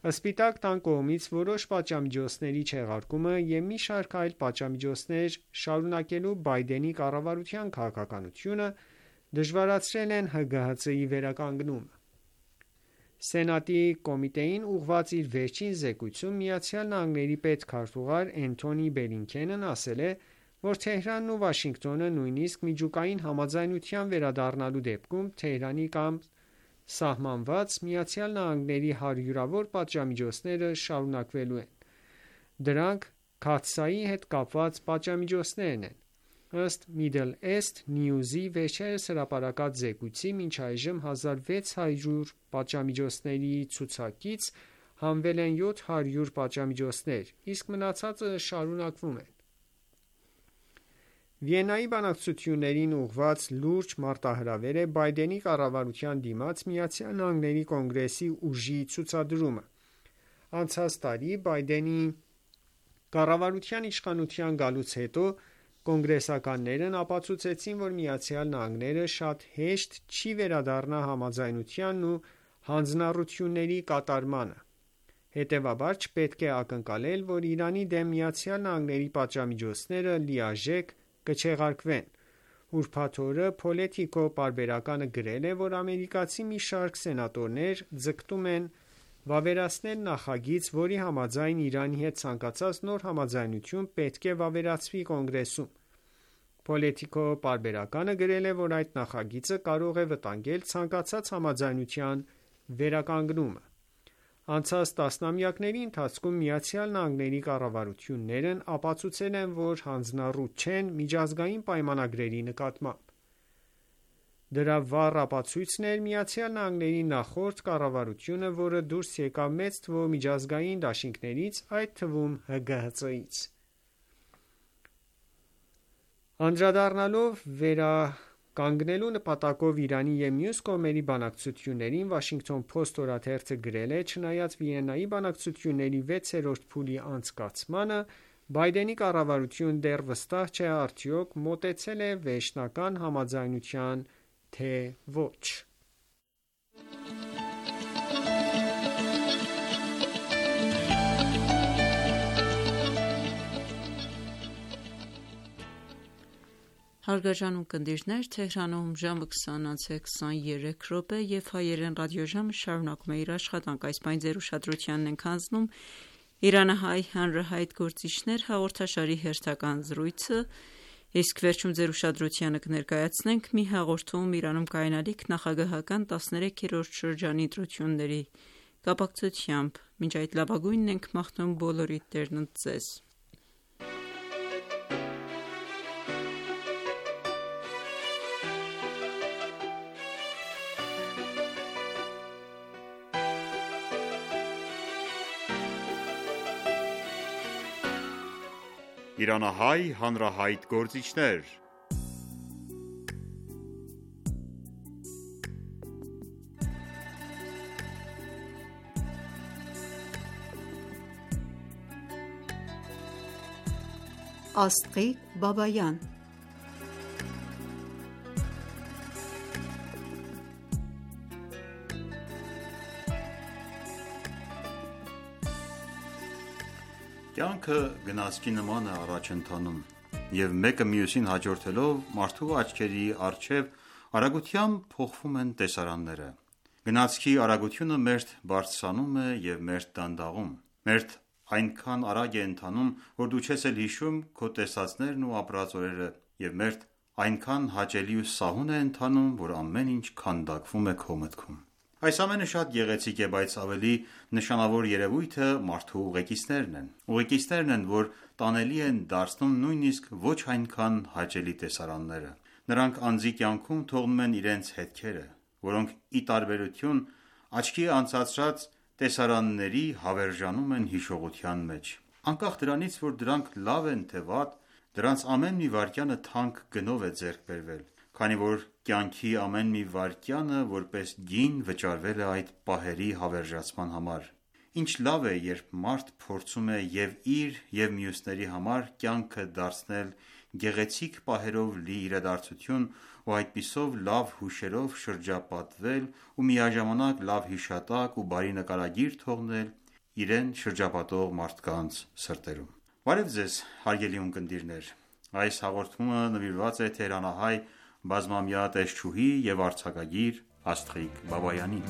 Սպիտակ տան կողմից որոշ պատժամիջոցների չեղարկումը և մի շարք այլ պատժամիջոցներ շարունակելու Բայդենի կառավարության քաղաքականությունը դժվարացրել են Հ Գ Հ Ց-ի վերականգնումը: Սենատի կոմիտեին ուղղված իր վերջին զեկույցում ԱՄՆ պետքարտուղար Էնթոնի Բլինքենն ասել է, որ Թեհրանն ու Վաշինգտոնը նույնիսկ միջուկային համաձայնության վերադառնալու դեպքում Թեհրանի դեմ սահմանված ԱՄՆ հարյուրավոր պատժամիջոցները շարունակվելու են: Դրանք Քաթսայի հետ կապված պատժամիջոցներն են: Ըստ Middle East News-ի վերջերս հրապարակած զեկույցի, մինչ այժմ հազար վեց հարյուր պատժամիջոցների ցուցակից հանվել են յոթ հարյուր պատժամիջոցներ, իսկ մնացածը շարունակվում են: Վիեննայի բանակցություններին ուղղված լուրջ մարտահրավեր է Բայդենի կառավարության դիմաց ԱՄՆ Կոնգրեսի ուժի ցուցադրումը: Անցած տարի Բայդենի կառավարության իշխանության գալուց հետո կոնգրեսականներն ապացուցեցին, որ ԱՄՆ-ն շատ հեշտ չի վերադառնա համաձայնությանն ու հանձնառությունների կատարմանը: Հետևաբար չպետք է ակնկալել, որ Իրանի դեմ ԱՄՆ պատժամիջոցները լիարժեք կչեղարկվեն: Ուրբաթ օրը Politico պարբերականը գրել է, որ ամերիկացի մի շարք սենատորներ ձգտում են վավերացնել նախագիծ, որի համաձայն Իրանի հետ ցանկացած նոր համաձայնություն պետք է վավերացվի Կոնգրեսում: Politico պարբերականը գրել է, որ այդ նախագիծը կարող է վտանգել ցանկացած համաձայնության վերականգնումը: Անցած տասնամյակների ընթացքում ԱՄՆ կառավարություններն ապացուցել են, որ հանձնառու չեն միջազգային պայմանագրերի նկատմամբ: Դրա վառ ապացույցն էր Միացյալ Նահանգների նախորդ կառավարությունը, որը դուրս եկավ մեծ թվով միջազգային դաշինքներից, այդ թվում Հ Գ Հ Ց-ից։ Անդրադառնալով վերականգնելու նպատակով Իրանի և մյուս կողմերի բանակցություններին, Washington Post օրաթերթը գրել է. «Չնայած Վիեննայի բանակցությունների վեցերորդ փուլի անցկացմանը, Բայդենի կառավարությունը դեռ վստահ չէ արդյոք մոտեցել է վերջնական համաձայնության, թե ոչ»։ Հարգարժան ունկնդիրներ, Թեհրանում ժամը քսան անց է քսաներեք րոպե և հայերեն ռադիոժամը շարունակում է իր աշխատանքը։ Այս պահին ձեր ուշադրությանն ենք հանձնում «Իրանահայ հանրահայտ գործիչներ» հաղորդաշարի հերթական զրույցը, իսկ վերջում ձեր ուշադրությանը կներկայացնենք մի հաղորդում Իրանում կայանալիք նախագահական տասներեքերորդ շրջանի ընտրությունների կապակցությամբ։ Մինչ այդ լավագույնն ենք մաղթում բոլորիդ տերն ընդ ձեզ։ Իրանահայ հանրահայտ գործիչներ։ Աստղիկ Բաբայան Կյանքը գնացքի նման է առաջ ընթանում, և մեկը մյուսին հաջորդելով մարդու աչքերի առջև արագությամբ փոխվում են տեսարանները։ Գնացքի արագությունը մերթ բարձրանում է և մերթ դանդաղում։ Մերթ այնքան արագ է ընթանում, որ դու չես էլ հիշում քո տեսածներն ու ապրած օրերը, և մերթ այնքան հաճելի ու սահուն է ընթանում, որ ամեն ինչ քանդակվում է քո մտքում։ Այս ամենը շատ գեղեցիկ է, բայց ավելի նշանավոր երևույթը մարդու ուղեկիցներն են։ Ուղեկիցներն են, որ տանելի են դարձնում նույնիսկ ոչ այնքան հաճելի տեսարանները։ Նրանք անձի կյանքում թողնում են իրենց հետքերը, որոնք ի տարբերություն աչքի անցածրած տեսարանների հավերժանում են հիշողության մեջ։ Անկախ դրանից, որ դրանք լավ են թե վատ, դրանց ամեն մի վայրկյանը թանկ գնով է ձեռք բերվել, քանի որ կյանքի ամեն մի վայրկյանը որպես գին վճարվել է այդ պահերի հավերժացման համար։ Ինչ լավ է, երբ մարդ փորձում է և իր և մյուսների համար կյանքը դարձնել գեղեցիկ պահերով լի իրադարձություն ու այդպիսով լավ հուշերով շրջապատվել ու միաժամանակ լավ հիշատակ ու բարի նկարագիր թողնել իրեն շրջապատող մարդկանց սրտերում։ Բարև ձեզ, հարգելի ունկնդիրներ։ Այս հաղորդումը նվիրված է թեհրանահայ բազմամյա տեսչուհի և արձակագիր Աստղիկ Բաբայանին։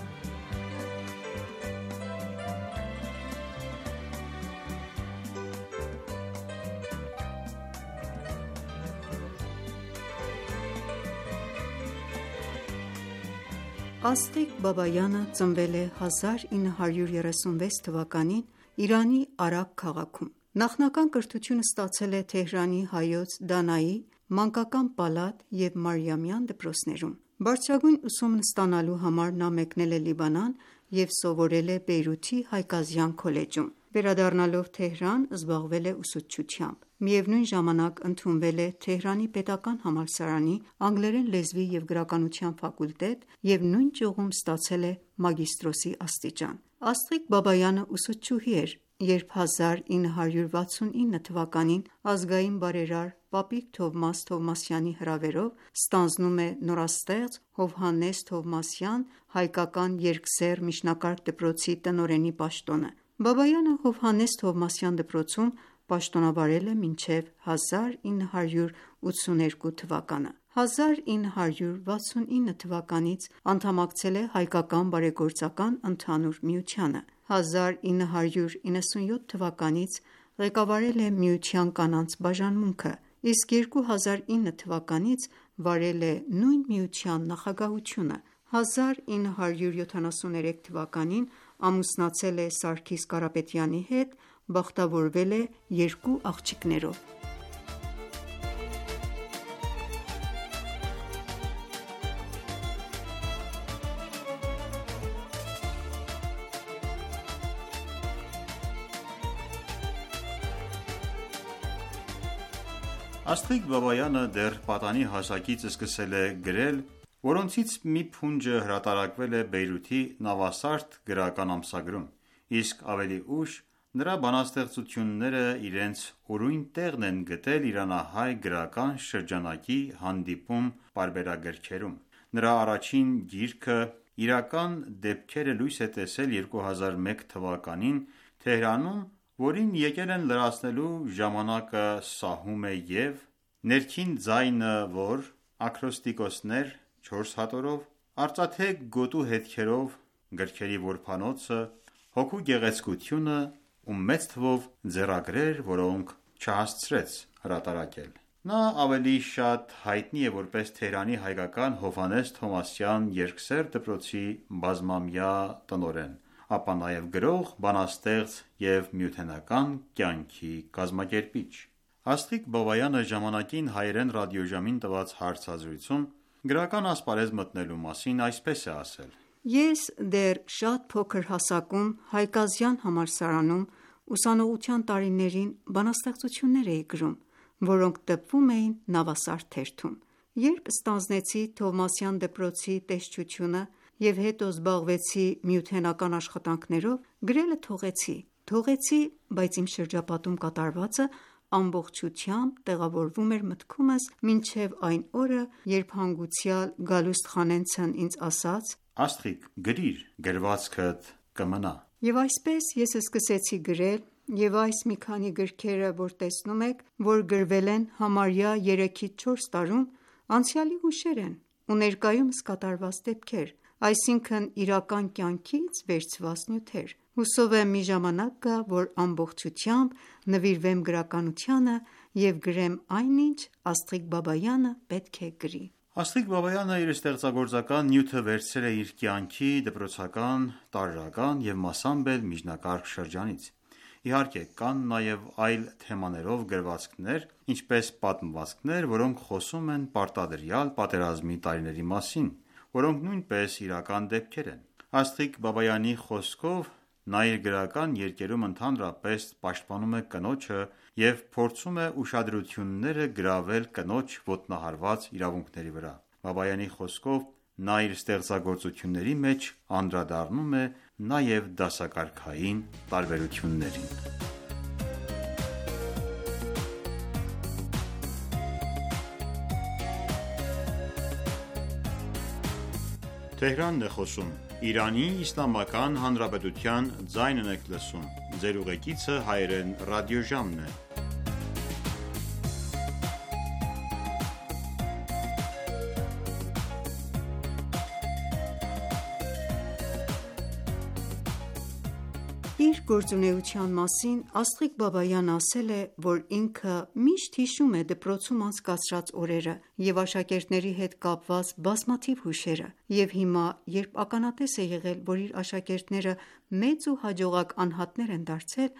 Աստղիկ Բաբայանը ծնվել է հազար ինը հարյուր երեսունվեց թվականին Իրանի Արաք քաղաքում։ Նախնական կրթությունը ստացել է Թեհրանի Հայոց Դանայի, Մանկական պալատ և Մարիամյան դպրոցներում։ Բարձրագույն ուսումն ստանալու համար նա մեկնել է Լիբանան և սովորել է Բեյրութի Հայկազյան քոլեջում։ Վերադառնալով Թեհրան զբաղվել է ուսուցչությամբ։ Միևնույն ժամանակ ընդունվել է Թեհրանի պետական համալսարանի անգլերեն լեզվի և գրականության ֆակուլտետ և նույն ճյուղում ստացել է մագիստրոսի աստիճան։ Աստղիկ Բաբայանը ուսուցչուհի էր, երբ հազար ինը հարյուր վաթսունինը թվականին ազգային բարերար Պապիկ Թովմաս Թովմասյանի հրավերով ստանձնում է նորաստեղծ Հովհաննես Թովմասյան հայկական երկսեռ միջնակարգ դպրոցի տնօրենի պաշտոնը։ Բաբայանը Հովհաննես Թովմասյան դպրոցում պաշտոնավարել է մինչև հազար ինը հարյուր ութսուներկու թվականը։ հազար ինը հարյուր վաթսունինը թվականից անդամակցել է Հայկական բարեգործական ընդհանուր միությանը։ հազար ինը հարյուր իննսունյոթ թվականից ղեկավարել է միության կանանց բաժանմունքը, իսկ երկու հազար ինը թվականից վարել է նույն միության նախագահությունը։ հազար ինը հարյուր յոթանասուներեք թվականին ամուսնացել է Սարգիս Կարապետյանի հետ, բախտավորվել է երկու աղջիկներով։ Աստղիկ Բաբայանը դեռ պատանի հասակից սկսել է գրել, որոնցից մի փունջը հրատարակվել է Բեյրութի Նավասարդ գրական ամսագրում, իսկ ավելի ուշ նրա բանաստեղծությունները իրենց ուրույն տեղն են գտել իրանահայ գրական շրջանակի հանդիպում պարբերագրքերում: Նրա առաջին գիրքը «Իրական դեպքերը» լույս է տեսել երկու հազար մեկ թվականին Թեհրանում, որին եկել են լրացնելու «Ժամանակը սահում է» և «Ներքին ձայնը», որ ակրոստիկոսներ չորս հատորով, «Արծաթե գոտու հետքերով» գրքերի որբանոցը, «Հոգու գեղեցկությունը» ու մեծ թվով ձեռագրեր, որոնք չհասցրեց հրատարակել: Նա ավելի շատ հայտնի է որպես Թեհրանի հայկական Հովհաննես Թովմասյան երկսեռ դպրոցի բազմամյա տնօրեն, ապա նաև գրող, բանաստեղծ և միութենական կյանքի կազմակերպիչ: Աստղիկ Բաբայանը ժամանակին հայերեն ռադիոժամին տված հարցազրույցում գրական ասպարեզ մտնելու մասին այսպես է ասել. «Ես դեռ շատ փոքր հասակում Հայկազյան համալսարանում ուսանողության տարիներին բանաստեղծություններ էի գրում, որոնք տպվում էին Նավասարդ թերթում: Երբ ստանձնեցի Թովմասյան դպրոցի տեսչությունը և հետո զբաղվեցի միութենական աշխատանքներով, գրելը թողեցի: Թողեցի, բայց իմ շրջապատում կատարվածը ամբողջությամբ տեղավորվում էր մտքումս մինչև այն օրը, երբ հանգուցյալ Գալուստ Խանենցն ինձ ասաց. «Աստղիկ, գրիր, գրվածքդ կմնա»: Եվ այսպես ես սկսեցի գրել և այս մի քանի գրքերը, որ տեսնում եք, որ գրվել են համարյա երեքից չորս տարում, անցյալի հուշեր են ու ներկայումս կատարված դեպքեր, այսինքն իրական կյանքից վերցված նյութեր: Հուսով եմ մի ժամանակ գա, որ ամբողջությամբ նվիրվեմ գրականությանը և գրեմ այն, ինչ Աստղիկ Բաբայանը պետք է գրի: Աստղիկ Բաբայանը իր ստեղծագործական նյութը վերցրել է իր կյանքի դպրոցական, տարրական և մասամբ էլ միջնակարգ շրջանից: Իհարկե կան նաև այլ թեմաներով գրվածքներ, ինչպես պատմվածքներ, որոնք խոսում են պարտադրյալ պատերազմի տարիների մասին, որոնք նույնպես իրական դեպքեր են: Աստղիկ Բաբայանի խոսքով, նա իր գրական երկերում ընդհանրապես պաշտպանում է կնոջը և փորձում է ուշադրությունները գրավել կնոջ ոտնահարված իրավունքների վրա: Բաբայանի խոսքով, նա իր ստեղծագործությունների մեջ անդրադառնում է նաև դասակարգային տարբերություններին: Իր գործունեության մասին Աստղիկ Բաբայանը ասել է, որ ինքը միշտ հիշում է դպրոցում անցկացրած օրերը և աշակերտների հետ կապված բազմաթիվ հուշերը և հիմա, երբ ականատես է եղել, որ իր աշակերտները մեծ ու հաջողակ անհատներ են դարձել,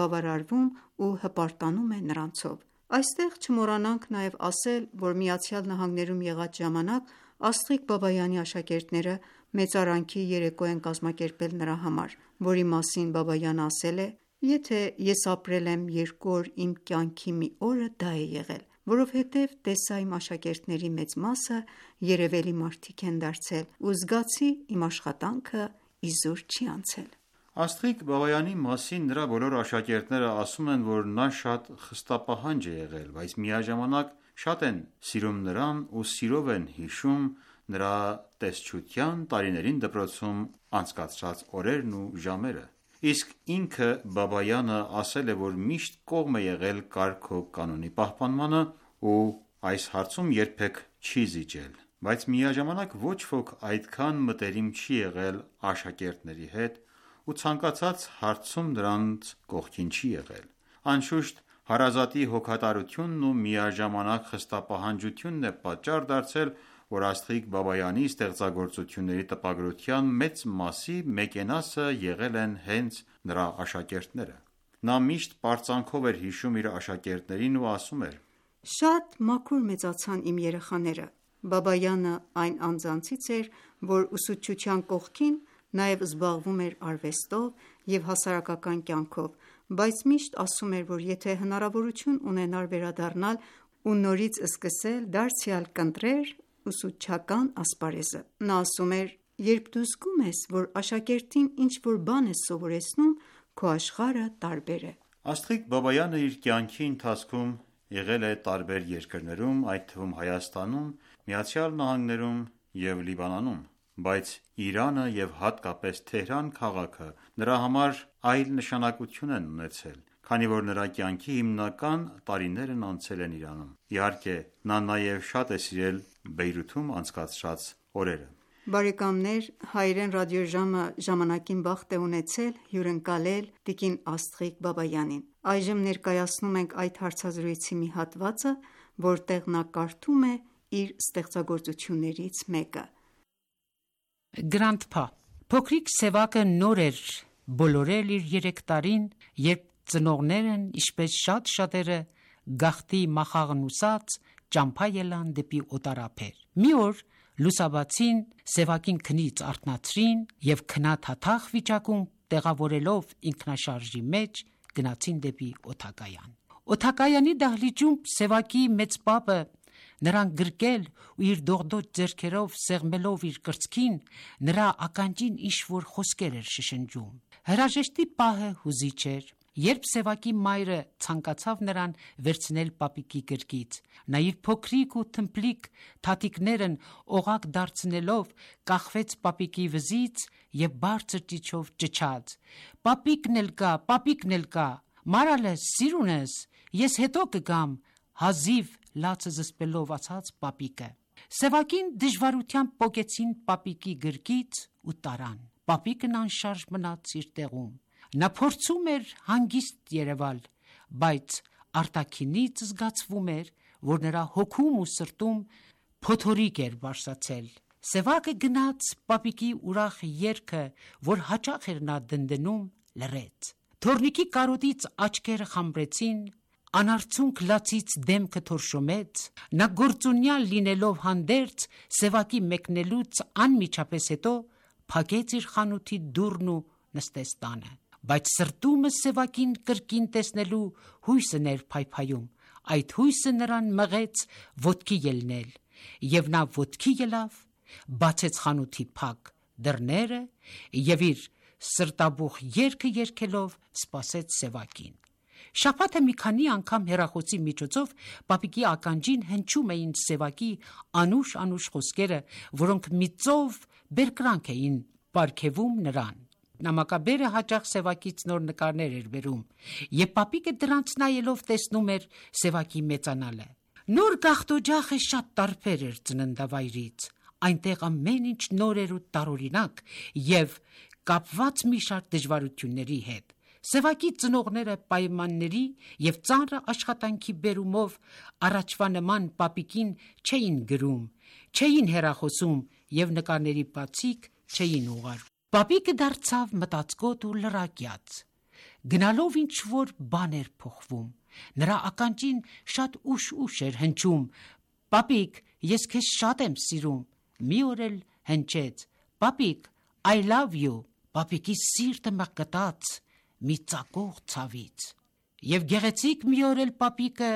բավարարվում ու հպարտանում է նրանցով: Այստեղ չմոռանանք նաև ասել, որ ԱՄՆ-ում եղած ժամանակ Աստղիկ Բաբայանի աշակերտները մեծարանքի երեկո են կազմակերպել նրա համար, որի մասին Բաբայանը ասել է. «Եթե ես ապրել եմ երկու օր իմ կյանքի մի օրը դա է եղել, որովհետև տեսա իմ աշակերտների մեծ մասը երևելի մարդիկ են դարձել ու զգացի իմ աշխատանքը իզուր չի անցել»: Աստղիկ Բաբայանի մասին նրա բոլոր աշակերտները ասում են, որ նա շատ խստապահանջ է եղել, բայց միաժամանակ շատ են սիրում նրան ու սիրով են հիշում նրա տեսչության տարիներին դպրոցում անցկացրած օրերն ու ժամերը: Իսկ ինքը Բաբայանը ասել է, որ միշտ կողմ է եղել կարգ ու կանոնի պահպանմանը ու այս հարցում երբեք չի զիջել: Բայց միաժամանակ ոչ ոք այդքան մտերիմ չի եղել աշակերտների հետ ու ցանկացած հարցում նրանց կողքին չի եղել: Անշուշտ հարազատի հոգատարությունն ու միաժամանակ խստապահանջությունն է պատճառ դարձել, որ Աստղիկ Բաբայանի ստեղծագործությունների տպագրության մեծ մասի մեկենասը եղել են հենց նրա աշակերտները: Նա միշտ պարծանքով էր հիշում իր աշակերտներին ու ասում էր. «Շատ մաքուր մեծացան իմ երեխաները: Բաբայանը այն անձանցից էր, որ ուսուցչության կողքին նաև զբաղվում էր արվեստով և հասարակական կյանքով, բայց միշտ ասում էր, որ եթե հնարավորություն ունենար վերադառնալ ու նորից սկսել դարձյալ կընտրեր ուսուցչական ասպարեզը։ Նա ասում էր. «Երբ դու զգում ես, որ աշակերտին ինչ-որ բան ես սովորեցնում, քո աշխարհը տարբեր է»։ Աստղիկ Բաբայանը իր կյանքի ընթացքում եղել է տարբեր երկրներում, այդ թվում Հայաստանում, Միացյալ Նահանգներում և Լիբանանում, բայց Իրանը և հատկապես Թեհրան քաղաքը նրա համար այլ նշանակություն են ունեցել, քանի որ նրա կյանքի հիմնական տարիներն անցել են Իրանում։ Իհարկե, նա նաև շատ է սիրել Բեյրութում անցկացրած օրերը։ Բարեկամներ, Հայերեն ռադիոժամը ժամանակին բախտ է ունեցել հյուրընկալել տիկին Աստղիկ Բաբայանին։ Այժմ ներկայացնում ենք այդ հարցազրույցի մի հատվածը, որտեղ նա կարդում է իր ստեղծագործություններից մեկը։ Գրանդփա Փոքրիկ Սևակը նոր էր բոլորել իր երեք տարին, երբ ծնողներն, ինչպես շատ շատերը, գաղթի մախաղնուսած ճամփա ելան դեպի օտարափեր։ Մի օր լուսաբացին Սևակին քնից արթնացրին և քնաթաթախ վիճակում տեղավորելով ինքնաշարժի մեջ գնացին դեպի օդակայան։ Օդակայանի դահլիճում Սևակի մեծ պապը նրան գրկել ու իր դողդոջ ձեռքերով սեղմելով իր կրծքին նրա ականջին ինչ-որ խոսքեր էր շշնջում։ Հրաժեշտի պահը հուզիչ էր, երբ Սևակի մայրը ցանկացավ նրան վերցնել պապիկի գրկից, նա իր փոքրիկ ու թմփլիկ թաթիկներն օղակ դարձնելով կախվեց պապիկի վզից և բարձր ճիչով ճչաց. «Պապիկն էլ կա, պապիկն էլ կա, մարալես, սիրունս, ես հետո կգամ», հազիվ լացը զսպելով ասաց պապիկը։ Սևակին դժվարությամբ պոկեցին պապիկի գրկից ու տարան։ Պապիկն անշարժ մնաց իր տեղում։ Նա փորձում էր հանգիստ երևալ, բայց արտաքինից զգացվում էր, որ նրա հոգում ու սրտում փոթորիկ էր բարձրացել։ Սևակը գնաց պապիկի ուրախ երգը, որ հաճախ էր նա դնդնում, լռեց։ Թոռնիկի կարոտից աչքերը խամրեցին, անարցունք լացից դեմքը թորշոմեց։ Նա գործունյալ լինելով հանդերձ Սևակի մեկնելուց անմիջապես հետո փակեց իր խանութի դուռն ու նստեց տանը։ Բայց սրտումը Սևակին կրկին տեսնելու հույսն էր փայփայում։ Այդ հույսը նրան մղեց ոտքի ելնել, և նա ոտքի ելավ, բացեց խանութի փակ դռները և իր սրտաբուխ երգը երգելով սպասեց Սևակին։ Շաբաթը մի քանի անգամ հեռախոսի միջոցով պապիկի ականջին հնչում էին Սևակի անուշ-անուշ խոսքերը, որոնք մի ծով բերկրանք էին պարգևում նրան։ Նամակաբերը հաճախ Սևակից նոր նկարներ էր բերում, և պապիկը դրանց նայելով տեսնում էր Սևակի մեծանալը։ Նոր գաղթօջախը շատ տարբեր էր ծննդավայրից, այնտեղ ամեն ինչ նոր էր ու տարօրինակ և կապված մի շարք դժվարությունների հետ։ Սևակի ծնողները պայմանների և ծանր աշխատանքի բերումով առաջվա նման պապիկին չէին գրում, չէին հեռախոսում և նկարների բացիկ չէին ուղարկում։ Պապիկը դարձավ մտածկոտ ու լրակյաց։ Գնալով ինչ-որ բան էր փոխվում։ Նրա ականջին շատ ուշ-ուշ էր հնչում. «Պապիկ, ես քեզ շատ եմ սիրում»։ Մի օր էլ հնչեց. «Պապիկ, I love you»։ Պապիկի սիրտը մկրտաց մի ծակող ցավից։ Եվ գեղեցիկ մի օր էլ պապիկը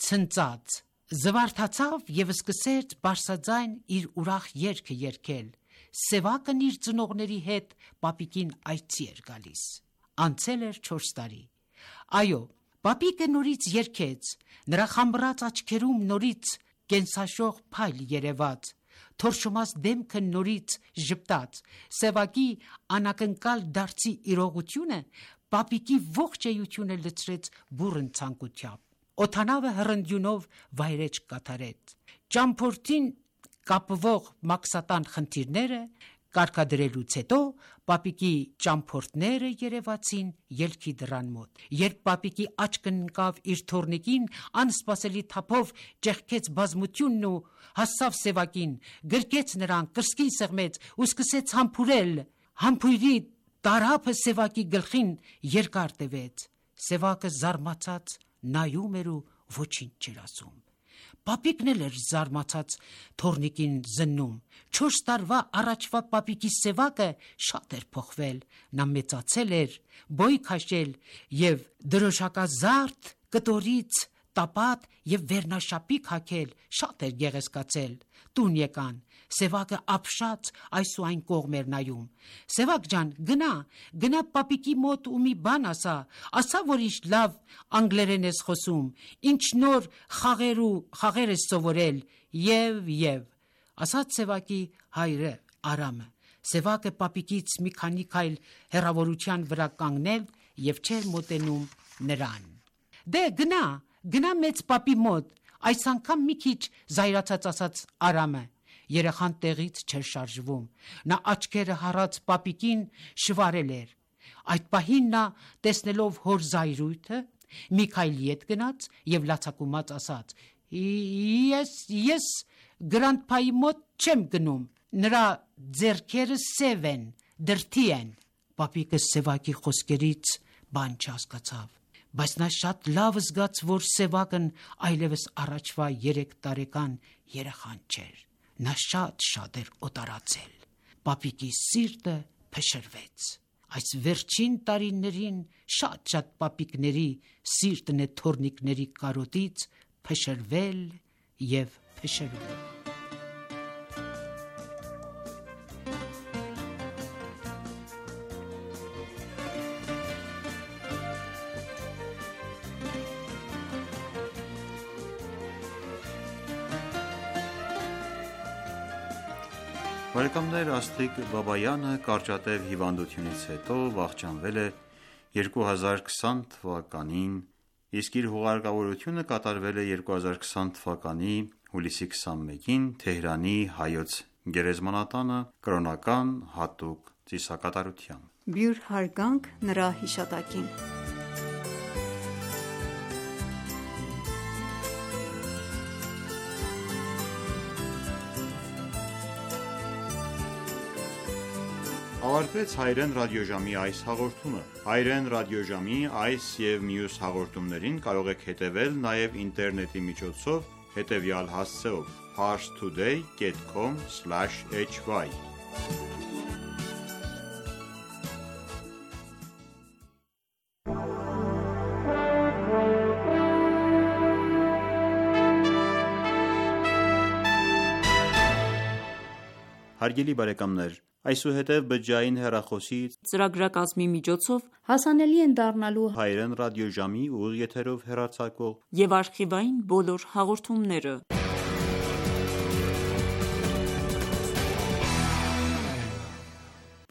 ցնծաց, զվարթացավ և սկսեց բարձրաձայն իր ուրախ երգը երգել։ Սևակն իր ծնողների հետ պապիկին այցի էր գալիս։ Անցել էր չորս տարի։ Այո, պապիկը նորից երգեց, նրա խամրած աչքերում նորից կենսաշող փայլ երևաց, թորշոմած դեմքը նորից ժպտաց։ Սևակի անակնկալ դարձի իրողությունը պապիկի ողջ էությունը լցրեց բուռն ցանկությամբ։ Օդանավը հռնդյունով վայրէջք կատարեց։ Ճամփորդին կապվող մաքսատան խնդիրները կարգադրելուց հետո պապիկի ճամփորդները երևացին ելքի դռան մոտ։ Երբ պապիկի աչքն ընկավ իր թոռնիկին, անսպասելի թափով ճեղքեց բազմությունն ու հասավ Սևակին, գրկեց նրան, կրծքին սեղմեց ու սկսեց համբուրել։ Համբույրի տարափը Սևակի գլխին երկար տևեց։ Սևակը զարմացած նայում էր ու ոչինչ չէր ասում։ Պապիկն էլ էր զարմացած թոռնիկին զննում։ Չորս տարվա առաջվա պապիկի Սևակը շատ էր փոխվել։ Նա մեծացել էր, բոյ քաշել և դրոշակազարդ կտորից տապատ և վերնաշապիկ հագել շատ էր գեղեցկացել։ Տուն եկան, Սևակը ապշած այս ու այն կողմ էր նայում։ Սևակ ջան, գնա, գնա պապիկի մոտ ու մի բան ասա, ասա, որ ինչ լավ անգլերեն ես խոսում, ինչ նոր խաղեր ու խաղեր ես սովորել, եւ եւ ասաց Սևակի հայրը Արամը։ Սևակը պապիկից մի քանի քայլ հեռավորության վրա կանգնել եւ չէր մոտենում նրան։ Դե գնա, գնա մեծ պապի մոտ, այս անգամ մի քիչ զայրացած ասաց Արամը։ Երեխան տեղից չէր շարժվում։ Նա աչքերը հառած պապիկին շվարել էր։ Այդ պահին նա, տեսնելով հոր զայրույթը, մի քայլ ետ գնաց եւ լացակումած ասաց. Ես ես գրանտփայի մոտ չեմ գնում։ Նրա ձեռքերը սև են, դրթի են։ Պապիկը Սևակի խոսքերից բան չհասկացավ, բայց նա շատ լավ զգաց, որ Սևակն այլևս առաջվա երեք տարեկան երեխան չէր։ Նա շատ-շատ էր օտարացել։ Պապիկի սիրտը փշրվեց։ Այս վերջին տարիներին շատ-շատ պապիկների սիրտն է թորնիկների կարոտից փշրվել եւ փշրվել։ Բարեկամներ, Աստղիկ Բաբայանը կարճատև հիվանդությունից հետո վախճանվել է երկու հազար քսան թվականին, իսկ իր հուղարկավորությունը կատարվել է երկու հազար քսան թվականի հուլիսի քսանմեկին Թեհրանի Հայոց գերեզմանատանը կրոնական հատուկ ծիսակատարությամբ։ Բյուր հարգանք նրա հիշատակին։ Ավարտվեց Հայրեն ռադիոժամի այս հաղորդումը։ Հայրեն ռադիոժամի այս եւ մյուս հաղորդումներին կարող եք հետևել նաեւ ինտերնետի միջոցով հետևյալ հասցեով parstoday dot com slash h y Հարգելի բարեկամներ, այսուհետև բջջային հեռախոսի ծրագրակազմի միջոցով հասանելի են դառնալու Հայրեն ռադիոժամի ուղիղ եթերով հեռարձակվող եւ արխիվային բոլոր հաղորդումները։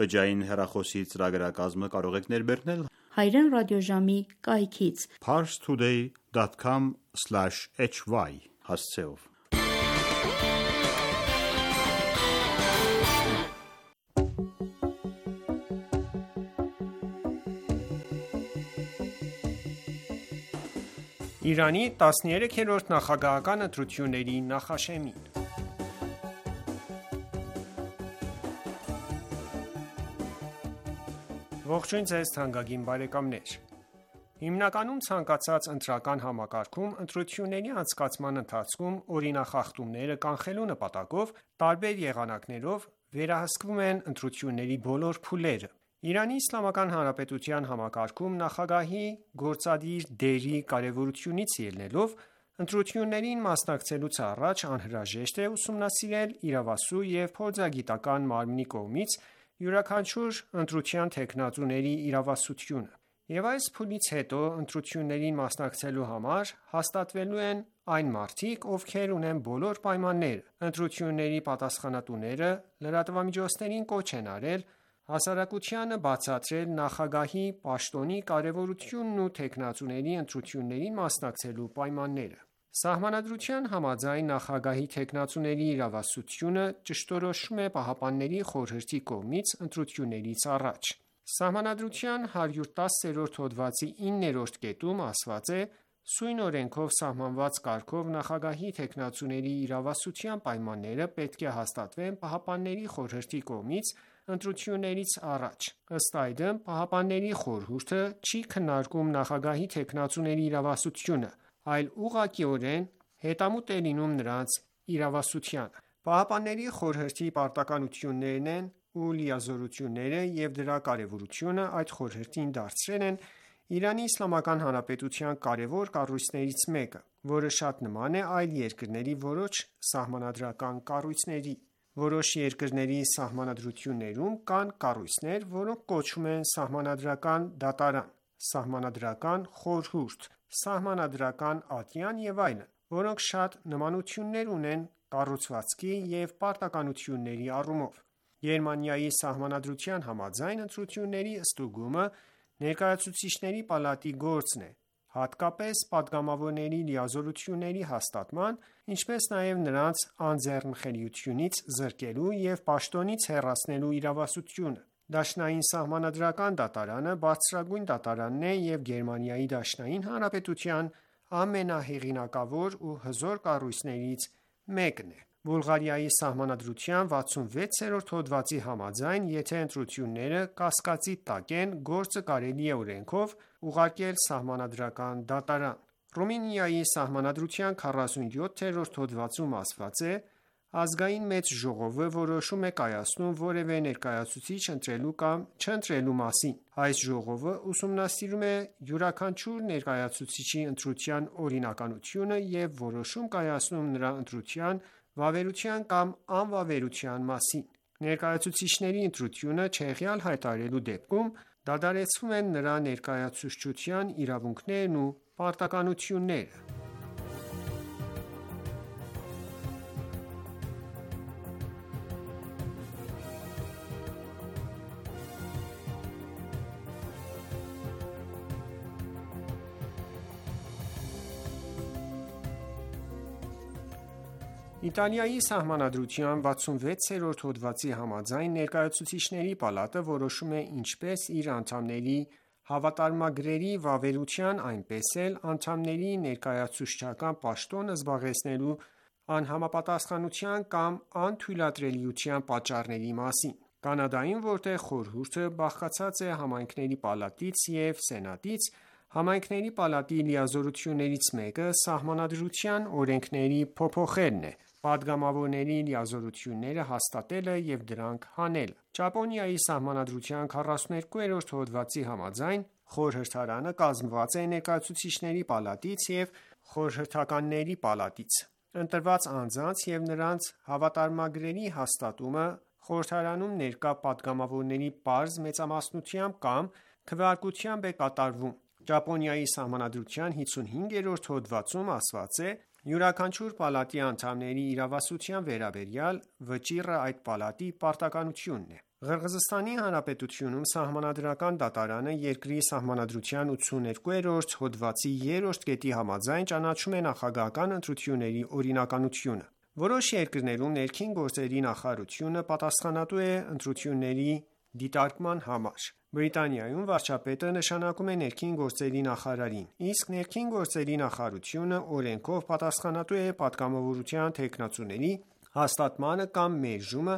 Բջջային հեռախոսի ծրագրակազմը կարող եք ներբեռնել Հայրեն ռադիոժամի կայքից parstoday dot com slash h y հասցեով։ Իրանի տասներեքերորդ նախագահական ընտրությունների նախաշեմին։ Ողջույն ձեզ թանկագին բարեկամներ։ Հիմնականում ցանկացած ընտրական համակարգում ընտրությունների անցկացման ընթացքում օրինախախտումները կանխելու նպատակով տարբեր եղանակներով վերահսկվում են ընտրությունների բոլոր փուլերը։ Իրանի Իսլամական Հանրապետության համակարգում նախագահի գործադիր դերի կարևորությունից ելնելով ընտրություններին մասնակցելուց առաջ անհրաժեշտ է ուսումնասիրել իրավասու և փորձագիտական մարմնի կողմից յուրաքանչյուր ընտրության թեկնածուների իրավասությունը, և այս փուլից հետո ընտրություններին մասնակցելու համար հաստատվելու են այն մարդիկ, ովքեր ունեն բոլոր պայմանները։ Ընտրությունների պատասխանատուները լրատվամիջոցներին կոչ են արել հասարակությանը բացատրել նախագահի պաշտոնի կարևորությունն ու թեկնածուների ընտրություններին մասնակցելու պայմանները։ Սահմանադրության համաձայն նախագահի թեկնածուների իրավասությունը ճշտորոշվում է Պահապանների խորհրդի կողմից ընտրություններից առաջ։ Սահմանադրության հարյուր տասրորդ հոդվածի իններորդ կետում ասված է. «Սույն օրենքով սահմանված կարգով նախագահի թեկնածուների իրավասության պայմանները պետք է հաստատվեն Պահապանների խորհրդի կողմից ընտրություններից առաջ»։ Ըստ այդմ, Պահապանների խորհուրդը չի քննարկում նախագահի թեկնածուների իրավասությունը, այլ ուղղակիորեն հետամուտ է լինում նրանց իրավասությանը։ Պահապանների խորհրդի պարտականություններն են ու լիազորությունները և դրա կարևորությունը այդ խորհրդին դարձրել են Իրանի Իսլամական Հանրապետության կարևոր կառույցներից մեկը, որը շատ նման է այլ երկրների որոշ սահմանադրական կառույցների։ Որոշ երկրների սահմանադրություններում կան կառույցներ, որոնք կոչվում են սահմանադրական դատարան, սահմանադրական խորհուրդ, սահմանադրական ատյան և այլն, որոնք շատ նմանություններ ունեն կառուցվածքի և պարտականությունների առումով։ Գերմանիայի սահմանադրության համաձայն ընտրությունների ստուգումը Ներկայացուցիչների պալատի գործն է, հատկապես պատգամավորների լիազորությունների հաստատման, ինչպես նաև նրանց անձեռնխելիությունից զրկելու և պաշտոնից հեռացնելու իրավասությունը։ Դաշնային սահմանադրական դատարանը բարձրագույն դատարանն է և Գերմանիայի Դաշնային Հանրապետության ամենահեղինակավոր ու հզոր կառույցներից մեկն է։ Բուլղարիայի սահմանադրության վաթսունվեցերորդ հոդվածի համաձայն, եթե ընտրությունները կասկածի տակ են, գործը կարելի է օրենքով ուղարկել սահմանադրական դատարան։ Ռումինիայի սահմանադրության քառասունյոթերորդ հոդվածում ասված է. «Ազգային մեծ ժողովը որոշում է կայացնում որևէ ներկայացուցիչ ընտրելու կամ չընտրելու մասին։ Այս ժողովը ուսումնասիրում է յուրաքանչյուր ներկայացուցչի ընտրության օրինականությունը և որոշում կայացնում նրա ընտրության վավերության կամ անվավերության մասին։ Ներկայացուցիչների ընտրությունը չեղյալ հայտարարելու դեպքում դադարեցվում են նրա ներկայացուցչության իրավունքներն ու պարտականությունները»։ Իտալիայի սահմանադրության վաթսունվեցերորդ հոդվածի համաձայն, Ներկայացուցիչների պալատը որոշում է ինչպես իր անդամների հավատարմագրերի վավերության, այնպես էլ անդամների ներկայացուցչական պաշտոն զբաղեցնելու անհամապատասխանության կամ անթույլատրելիության պատճառների մասին։ Կանադայում, որտեղ խորհուրդը բաղկացած է համայնքների պալատից և սենատից, համայնքների պալատի լիազորություններից մեկը սահմանադրության օրենքների փոփոխելն է, պատգամավորների լիազորությունները հաստատելը և դրանք հանելը։ Ճապոնիայի սահմանադրության քառասուներկուերորդ հոդվածի համաձայն, խորհրդարանը կազմված է Ներկայացուցիչների պալատից և խորհրդականների պալատից։ Ընտրված անձանց և նրանց հավատարմագրերի հաստատումը խորհրդարանում ներկա պատգամավորների պարզ մեծամասնությամբ կամ քվեարկությամբ է կատարվում։ Ճապոնիայի սահմանադրության հիսունհինգերորդ հոդվածում ասված է. «Յուրաքանչյուր պալատի անդամների իրավասության վերաբերյալ վճիռը այդ պալատի պարտականությունն է»։ Ղրղըզստանի Հանրապետությունում Սահմանադրական դատարանը երկրի Սահմանադրության ութսուներկուերորդ հոդվածի երրորդ կետի համաձայն ճանաչում է նախագահական ընտրությունների օրինականությունը։ Որոշ երկրներում ներքին գործերի նախարարությունը պատասխանատու է ընտրությունների դիտարկման համար։ Բրիտանիայում վարչապետը նշանակում է ներքին գործերի նախարարին, իսկ ներքին գործերի նախարարությունը օրենքով պատասխանատու է պատգամավորության թեկնածուների հաստատմանը կամ մերժումը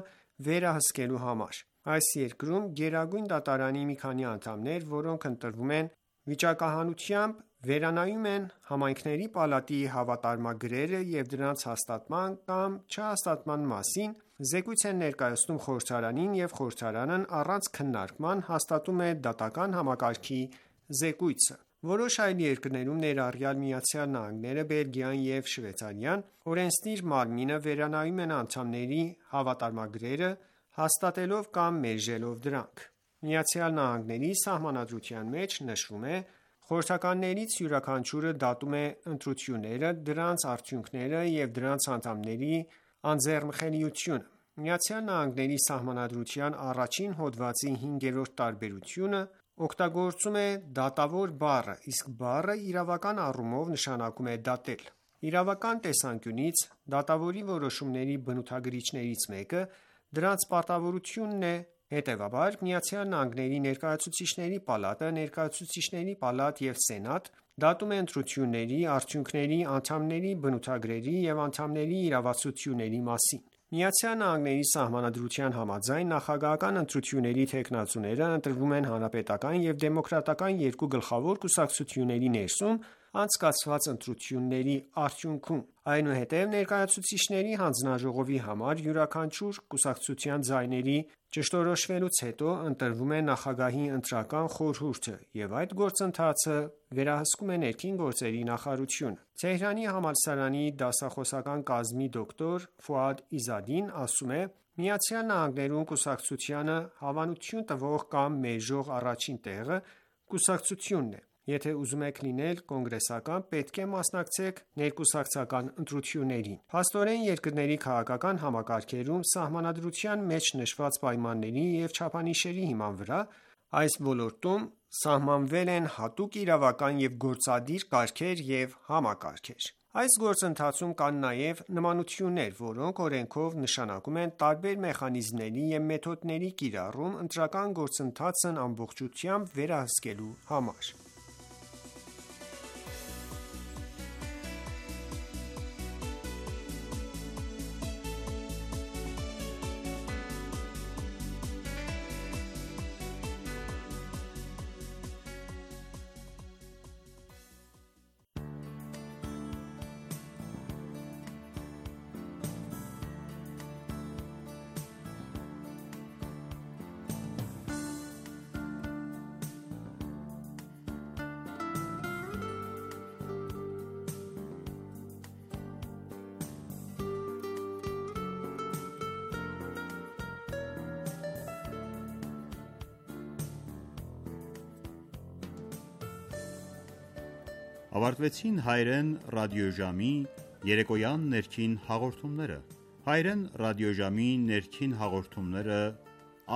վերահսկելու համար։ Այս երկրում Գերագույն դատարանի մի քանի անդամներ, որոնք ընտրվում են վիճակահանությամբ, վերանայում են համայնքների պալատի հավատարմագրերը և դրանց հաստատման կամ չհաստատման մասին զեկույց են ներկայացնում խորհրդարանին, և խորհրդարանն առանց քննարկման հաստատում է դատական համակարգի զեկույցը։ Որոշ այլ երկրներում, ներառյալ Միացյալ Նահանգները, Բելգիան և Շվեյցարիան, օրենսդիր մարմինը վերանայում է անդամների հավատարմագրերը, հաստատելով կամ մերժելով դրանք։ ԱՄՆ-ի Սահմանադրության մեջ նշվում է. «Խորհրդականներից յուրաքանչյուրը դատում է ընտրությունները, դրանց արդյունքները և դրանց անդամների անձեռնխելիությունը»։ ԱՄՆ-ի Սահմանադրության առաջին հոդվածի հինգերորդ տարբերությունը օգտագործում է դատավոր բառը, իսկ բառը իրավական առումով նշանակում է դատել։ Իրավական տեսանկյունից դատավորի որոշումների բնութագրիչներից մեկը դրանց պարտավորությունն է։ Հետևաբար, ԱՄՆ-ի Ներկայացուցիչների պալատը, Ներկայացուցիչների պալատ և Սենատ դատում է ընտրությունների արդյունքները անդամների բնութագրերի և անդամների իրավասությունների մասին։ ԱՄՆ-ի Սահմանադրության համաձայն, նախագահական ընտրությունների թեկնածուները ընտրվում են հանրապետական և դեմոկրատական երկու գլխավոր կուսակցությունների ներսում անցկացված ընտրությունների արդյունքում։ Այնուհետև ներկայացուցիչների հանձնաժողովի համար յուրաքանչյուր կուսակցության ձայների ճշտորոշվելուց հետո ընտրվում է նախագահի ընտրական խորհուրդը, և այդ գործընթացը վերահսկում է ներքին գործերի նախարարությունը։ Թեհրանի համալսարանի դասախոսական կազմի դոկտոր Ֆուադ Իզադին ասում է. «ԱՄՆ-ում կուսակցությանը հավանություն տվող կամ մերժող առաջին տեղը կուսակցությունն է։ Եթե ուզում եք լինել կոնգրեսական, պետք է մասնակցեք ներկուսակցական ընտրություններին»։ Փաստորեն, երկրների քաղաքական համակարգերում սահմանադրության մեջ նշված պայմանների և չափանիշների հիման վրա այս ոլորտում սահմանվել են հատուկ իրավական և գործադիր կարգեր և համակարգեր։ Այս գործընթացում կան նաև նմանություններ, որոնք օրենքով նշանակում են տարբեր մեխանիզմների և մեթոդների կիրառում ընտրական գործընթացն ամբողջությամբ վերահսկելու համար։ Ավարտվեցին հայերեն ռադիոժամի երեկոյան ներքին հաղորդումները։ Հայերեն ռադիոժամի ներքին հաղորդումները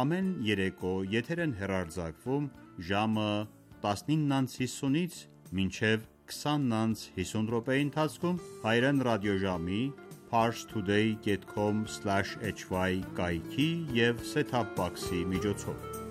ամեն երեկո եթեր են հեռարձակվում ժամը տասնինը հիսունից մինչև քսանը հիսուն րոպեի ընթացքում հայերեն ռադիոժամի parstoday dot com slash hy կայքի և set-top box-ի միջոցով։